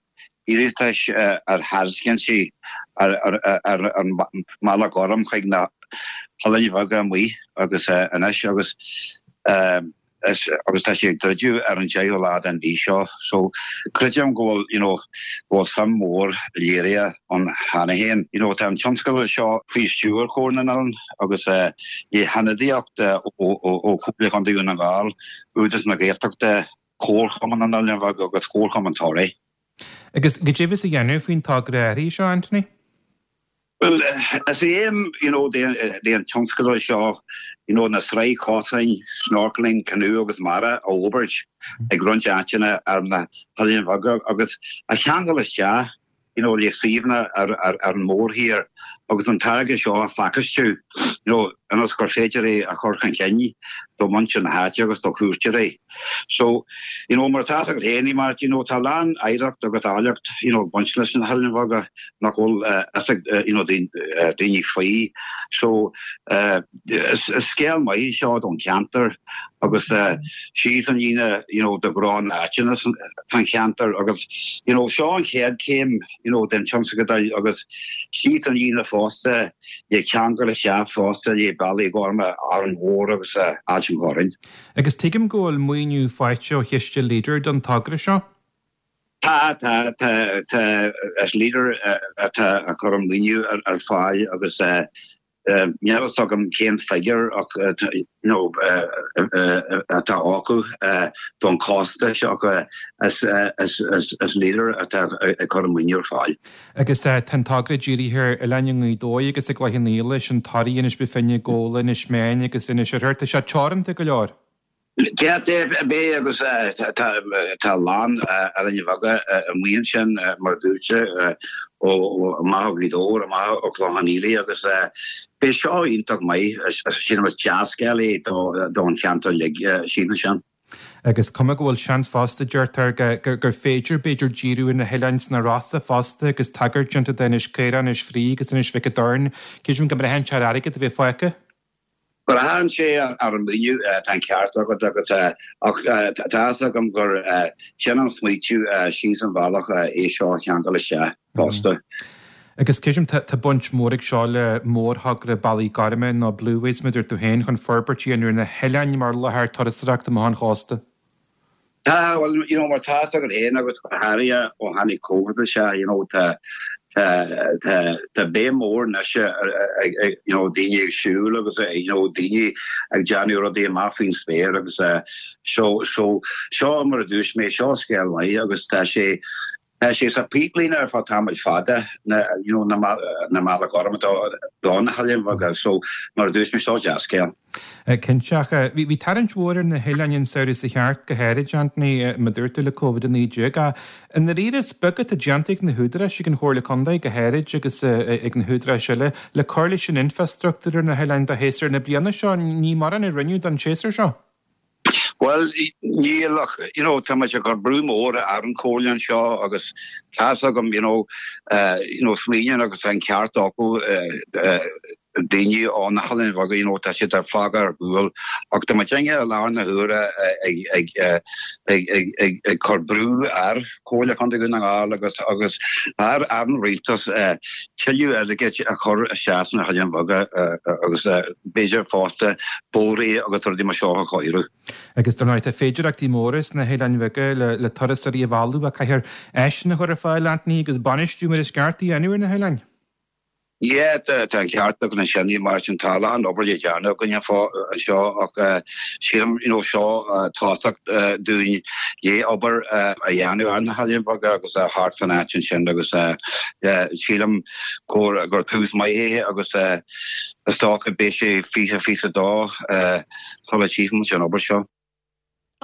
S14: iarratais ar thairiscintí ar an mBealach Gorm chuig na hoileáin bheaga amuigh agus anois agus agus tá sé ag druidim ar an deichiú lá den mhí seo. So creidim go bhfuil you know go bhfuil suim mhór léirithe ann cheana féin. You know tá an tionscadal seo faoi stiúir Chomhairle na nOileán agus le hionadaíocht ó ó Chomhairle Chontae Dhún na nGall, Údarás na Gaeltachta, Comharchumann na nOileán Bheag agus Comharchumann Thoraí.
S3: Agus goidé a bheas á dhéanamh faoin togra áirithe seo, Anthony?
S14: Bhuel, is é aidhm you know den tionscadal seo you know na sraith cosáin snorkeling, canoe agus mara a fhorbairt ag roinnt áiteanna ar na hOileáin Bheaga agus a cheangal isteach you know le suíomhanna ar ar ar an mórthír agus an táirge seo a phacáistiú you know ionas gur féidir é a chur chun cinn do mhuintir na háite agus do chuairteoirí. So, you know, mar atá a fhios agat féin, mar you know, tá a lán oidhreacht agus áilleacht you know, ag baint leis na hOileáin Bheaga nach bhfuil uh, fhios ag uh, you know, daoine faoi. So uh, is, is scéal maith seo don cheantar agus uh, síos an líne you know, do ghnó na háiteanna san cheantar agus you know, seo an chéad céim you know, den tionscadal agus síos an líne fosta le ceangal isteach fosta le Bealaí Gorma Árainn Mhór agus uh, Ailt an Chorráin.
S3: Agus tuigim go bhfuil maoiniú faighte ó chiste Leader don togra seo?
S14: Tá tá tá tá is Leader atá ag cur an maoiniú ar, ar fáil agus uh, níl a fhios agam cén figiúr ach you know, atá acu don costas ach is, is, is, is Leader atá ag cur an maoiniú ar fáil.
S3: Agus tá an togra dírithe ar Oileán i nGaoth Dobhair agus i gCloich Cheann Fhaola sin Toraigh, Inis Bó Finne, Gabhla, Inis Meáin agus Inis Oirthir, tá sé teoranta go leor.
S14: Ceart é agus tá a lán oileáin bheaga amuigh ansin mar dúirt ó amach ó Ghaoth Dobhair amach ó Chloich Cheann Fhaola agus beidh seo iontach maith sin is dea-scéal é don cheantar uilig síos sin.
S3: Agus cuma go bhfuil seans fosta deirtear gur féidir b'fhéidir díriú ar na hoileáin sna Rosa fosta agus tagairt déanta d'Inis Caorach, Inis Fraoich agus Inis Mhic an Doirn, Creidim go mbraitheann sé ar airgead a bheith fágtha?
S14: Braitheann sé ar an maoiniú tá an ceart agat agus ach tá a fhios agam gur sin an smaoitiú síos an bhealach é seo a cheangal isteach fosta.
S3: Agus creidim tá baint mhór ag seo le mórthogra Bealaí Gorma nó Blueways mar a dúirt tú féin chun forbairt a dhéanamh ar na hoileáin mar láthair turasóireachta amach ón chósta.
S14: Tá well you know mar tá a fhios agat féin agus go háirithe ó tháinig Covid isteach you know tá tá tá béim mór anois ag you know daoine ag siúl agus you know daoine ag déanamh rudaí amach faoin spéir agus seo seo seo mar a dúirt mé seo scéal maith agus tá sé tá sé sa pipeline ar feadh tamall fada na you know na na Bealaí Gorma do na hoileáin bheaga so mar a dúirt mé seo dea-scéal.
S3: Cinnte ach bhí tarraingt mhór ar na hoileáin an samhradh seo thart go háirid Anthony mar a dúirt tú le Covid a naoi déag. I ndáiríre is beag atá déanta ag na húdaráis ag an Chomhairle Contae go háirid agus ag na húdaráis eile le cur leis an infrastruchtúr ar na hoileáin do shéasúr na bliana seo ní mórán a rinneadh don séasúr seo.
S14: Well níl ach you know tá muid ag cur brú mór ar an chomhairle anseo agus tá a fhios agam you know uh, you know smaoineann agus an ceart acu uh, uh, daoine ó na hoileáin bheaga you know tá siad ar fágtha ar gcúl ach tá muid i láthair na huaire ag ag ag ag ag ag cur brú ar Chomhairle Contae Dhún na nGall agus agus ar ar an rialtas tuilleadh airgid a chur isteach sna hoileáin bheaga agus b'fhéidir fosta bóithre agus rudaí mar seo a chóiriú.
S3: Agus dar ndóigh tá féidearthachtaí móra sna hoileáin bheaga le le turasóirí a mhealladh ach caithfear áiseanna a chur ar fáil Anthony agus bainistiú mar is ceart a dhéanamh ar na hoileáin.
S14: Yeah, tá an ceart agat ansin mar sin tá a lán obair le déanamh againn anseo ach sílim you know seo tosach dúinn le obair a dhéanamh ar na hoileáin bheaga agus thart fan áit ansin agus sílim gur gur tús maith é agus is dócha beidh sé fiche fiche a dó sula tchífimid an obair seo.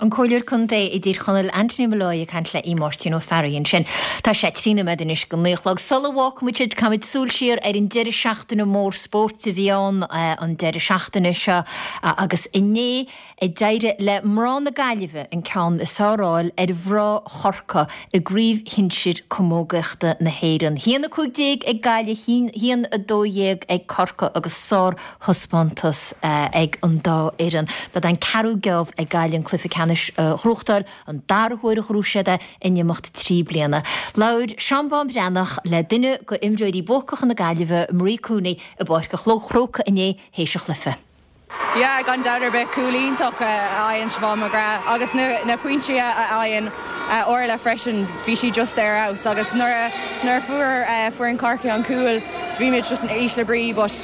S1: An Comhairleoir Contae i dTír Chonaill Anthony Molloy ag caint le Aodh Máirtín Ó Fearraigh ansin. Tá sé trí nóiméad anois go naoi a chlog. Sula bhfágfaimid sibh caithfimid súil siar ar an deireadh seachtaine mór spóirt a bhí ann an deireadh seachtaine seo agus inné a d'éirigh le mná na Gaillimhe an ceann is fearr a fháil ar mhná Chorcaí i gcraobh shinsir camógaíochta na hÉireann. haon a cúig déag ag Gaillimh, haon a dó dhéag ag Corcaigh agus sárthaispeántas ag an dá fhoireann. Ba é an ceathrú geábh ag Gaillimh an cluiche ceannais a ghnóthachtáil an dara huair a ghnóthaigh siad é in imeacht trí bliana. Labhair Seán Bán Breathnach le duine d'imreoirí buacacha na Gaillimhe Marie Cooney i bPáirc an Chrócaigh inné théis an chluiche.
S15: Yeah, gan dabht ar bith cúl iontach a fhaigheann Siobhán McGrath agus na, na pointí a fhaigheann uh, Orla freisin bhí sí just ar fheabhas agus nuair nuair fuair uh, fuair an Corcaigh an cúl bhí muid just in ísle brí but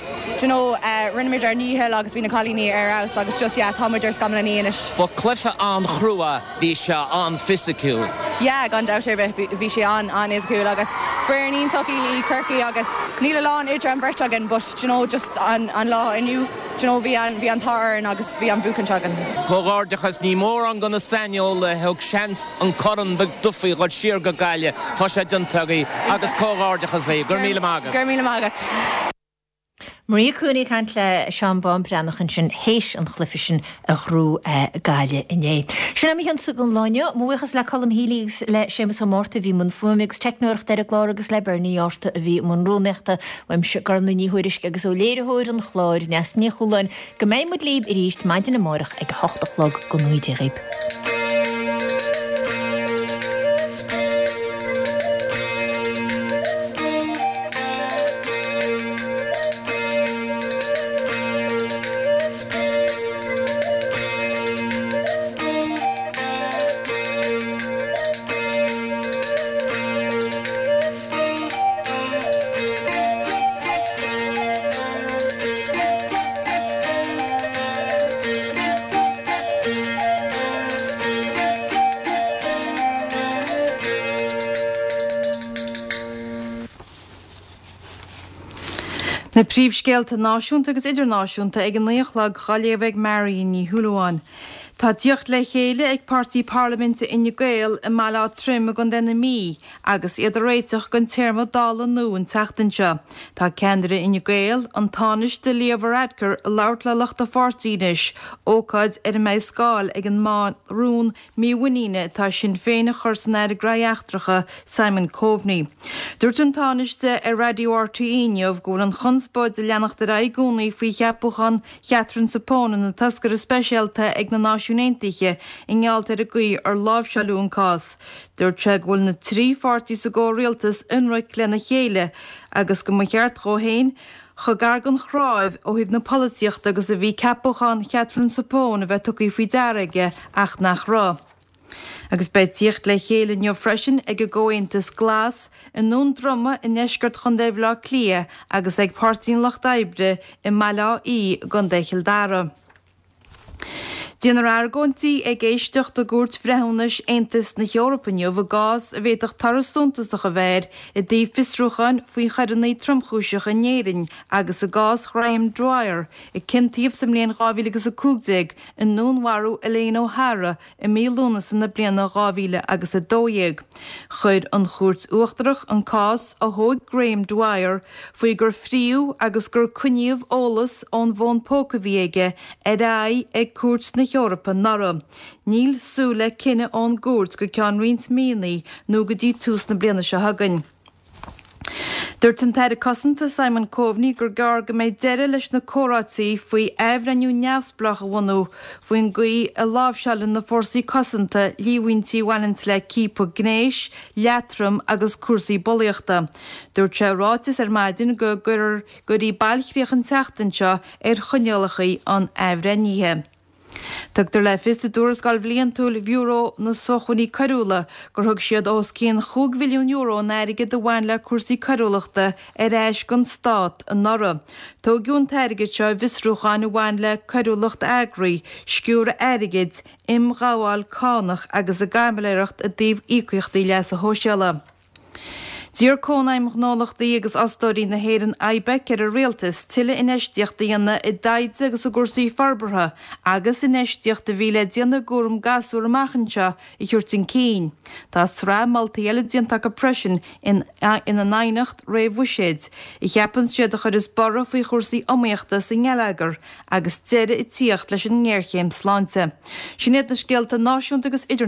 S15: you know uh, rinne muid ár ndícheall agus bhí na cailíní ar fheabhas agus just yeah, tá muid ar scamall na anois.
S16: Ba cluiche an-chrua bhí sé an-fhisiciúil.
S15: Yeah, gan dabht ar bith bhí sé an an-fhisiciúil agus foireann iontach í Corcaigh agus níl a lán idir an bheirt againn but you know, just an, an lá inniu you know, bhí an bhí an t-ádh agus bhí an bhuachaint againn.
S16: Comhghairdeachas ní mórán de na saineolaithe a thug seans an Corn Duffy dul siar go Gaillimh tá sé déanta agaibh agus comhghairdeachas libh, go raibh míle maith agat.
S15: Go raibh míle maith agat.
S1: Maria Cooney ag caint le Seán Bán Breathnach ansin théis an chluiche sin a ghnóthaigh Gaillimh inné. Sin am ansa don lá inniu, mo bhuíochas le Colm Healy agus le Séamus Ó Márta a bhí i mbun fuaime agus teicneoireachta ar an gclár agus le Bernie Orta a bhí i mbun rúnaíochta uaimse Gormlaith Ní Thuairisg agus ó léiritheoir an chláir Neasa Ní Chualáin go mbeidh muid libh arís maidin amárach ag a hocht a chlog go ngnóthaí Dia dhaoibh.
S2: Na príomhscéalta náisiúnta agus idirnáisiúnta ag an naoi a chlog á léamh ag Marion Ní Shúilleabháin. Tá tíocht le chéile ag páirtí parlaiminte Fhine Gael i mBaile Átha Troim i gContae na Mí agus iad ag réiteach don téarma Dála nua an tseachtain seo. Tá ceannaire Fhine Gael, an Tánaiste Leo Varadkar ag labhairt le lucht a pháirtí anois, ócáid ar a mbeidh scáil ag an mba rún mímhuiníne atá Sinn Féin a chur san Aire Gnóthaí Eachtracha Simon Coveney. Dúirt an Tánaiste ar Raidió RTÉ inniu go bhfuil an chonspóid ag leanacht ar aghaidh i gcónaí faoi cheapachán Chatherine Zappone ina toscaire speisialta ag na Náisiúin Aontaithe i ngeall ar an gcaoi ar láimhseáladh an cás. Dúirt sé go bhfuil na trí pháirtí sa gcomhrialtas ionraic lena chéile agus go mba cheart dó féin chomh gar don chnámh ó thaobh na polaitíochta agus a bhí ceapachán Chatherine Zappone a bheith tugtha faoi deara aige ach nach raibh. Agus beidh tíocht le chéile inniu freisin ag an gComhaontas Glas i nDún Droma i ndeisceart Chontae Bhaile Átha Cliath agus ag Páirtí an Lucht Oibre i mBaile Átha Í i gContae Chill Dara. Déanfar argóintí ag éisteacht i gCúirt Bhreithiúnais Aontas na hEorpa inniu i gcás a bhféadfadh toradh suntasach a bheith air i dtaobh fiosrúcháin faoi choireanna tromchúiseacha in Éirinn agus i gcás Ghraham Dwyer, a ciontaíodh sa mbliain dhá mhíle agus a cúig déag i ndúnmharú Elaine O'Hara i mí Lúnasa na bliana dhá mhíle agus a dó dhéag. Chuir an Chúirt Uachtarach an cás a thóg Graham Dwyer faoi gur fríodh agus gur coinníodh eolas ón bhfón póca a bhí aige ar aghaidh ag Cúirt na hEorpa anuraidh. Níl súil le cinneadh ón gcúirt go ceann roinnt míonna nó go dtí tús na bliana seo chugainn. Dúirt an tAire Cosanta Simon Coveney gur gearr go mbeidh deireadh leis na comhráití faoi athbhreithniú neamhspleách a bhunú faoin gcaoi a láimhseálann na fórsaí cosanta líomhaintí a bhaineann le ciapadh gnéis, leatrom agus cúrsaí bulaíochta. Dúirt sé i ráiteas ar maidin go gcuirfí bailchríoch an tseachtain seo ar choinníollacha an athbhreithnithe. Tugtar le fios i dtuarascáil bhliantúil Bhiúró na Sócmhainní Coiriúla gur thug siad os cionn chúig mhilliún euro in airgead a bhain le cúrsaí coiriúlachta ar ais don stát anuraidh. Tógadh an t-airgead seo i bhfiosrúcháin a bhain le coiriúlacht eagraithe, sciúradh airgid, imghabháil cánach agus i gcaimiléireacht i dtaobh íocaíochtaí leasa shóisialaigh. D'iarr Cónaidhm Ghnólachtaí agus Fhostóirí na hÉireann, IBEC, ar an Rialtas tuilleadh infheistíochta a dhéanamh i dtaighde agus i gcúrsaí forbartha agus infheistíocht a bhí le déanamh i gcúram gasúr amach anseo a thabhairt chun cinn. Tá sraith moltaí eile déanta acu freisin ina n aighneacht réamh-bhuiséid, a cheapann siad a chuirfeas borradh faoi chúrsaí iomaíochta sa ngeilleagar agus deireadh ag tíocht leis an ngéarchéim sláinte. Sin iad na scéalta náisiúnta agus idirnáisiúnta.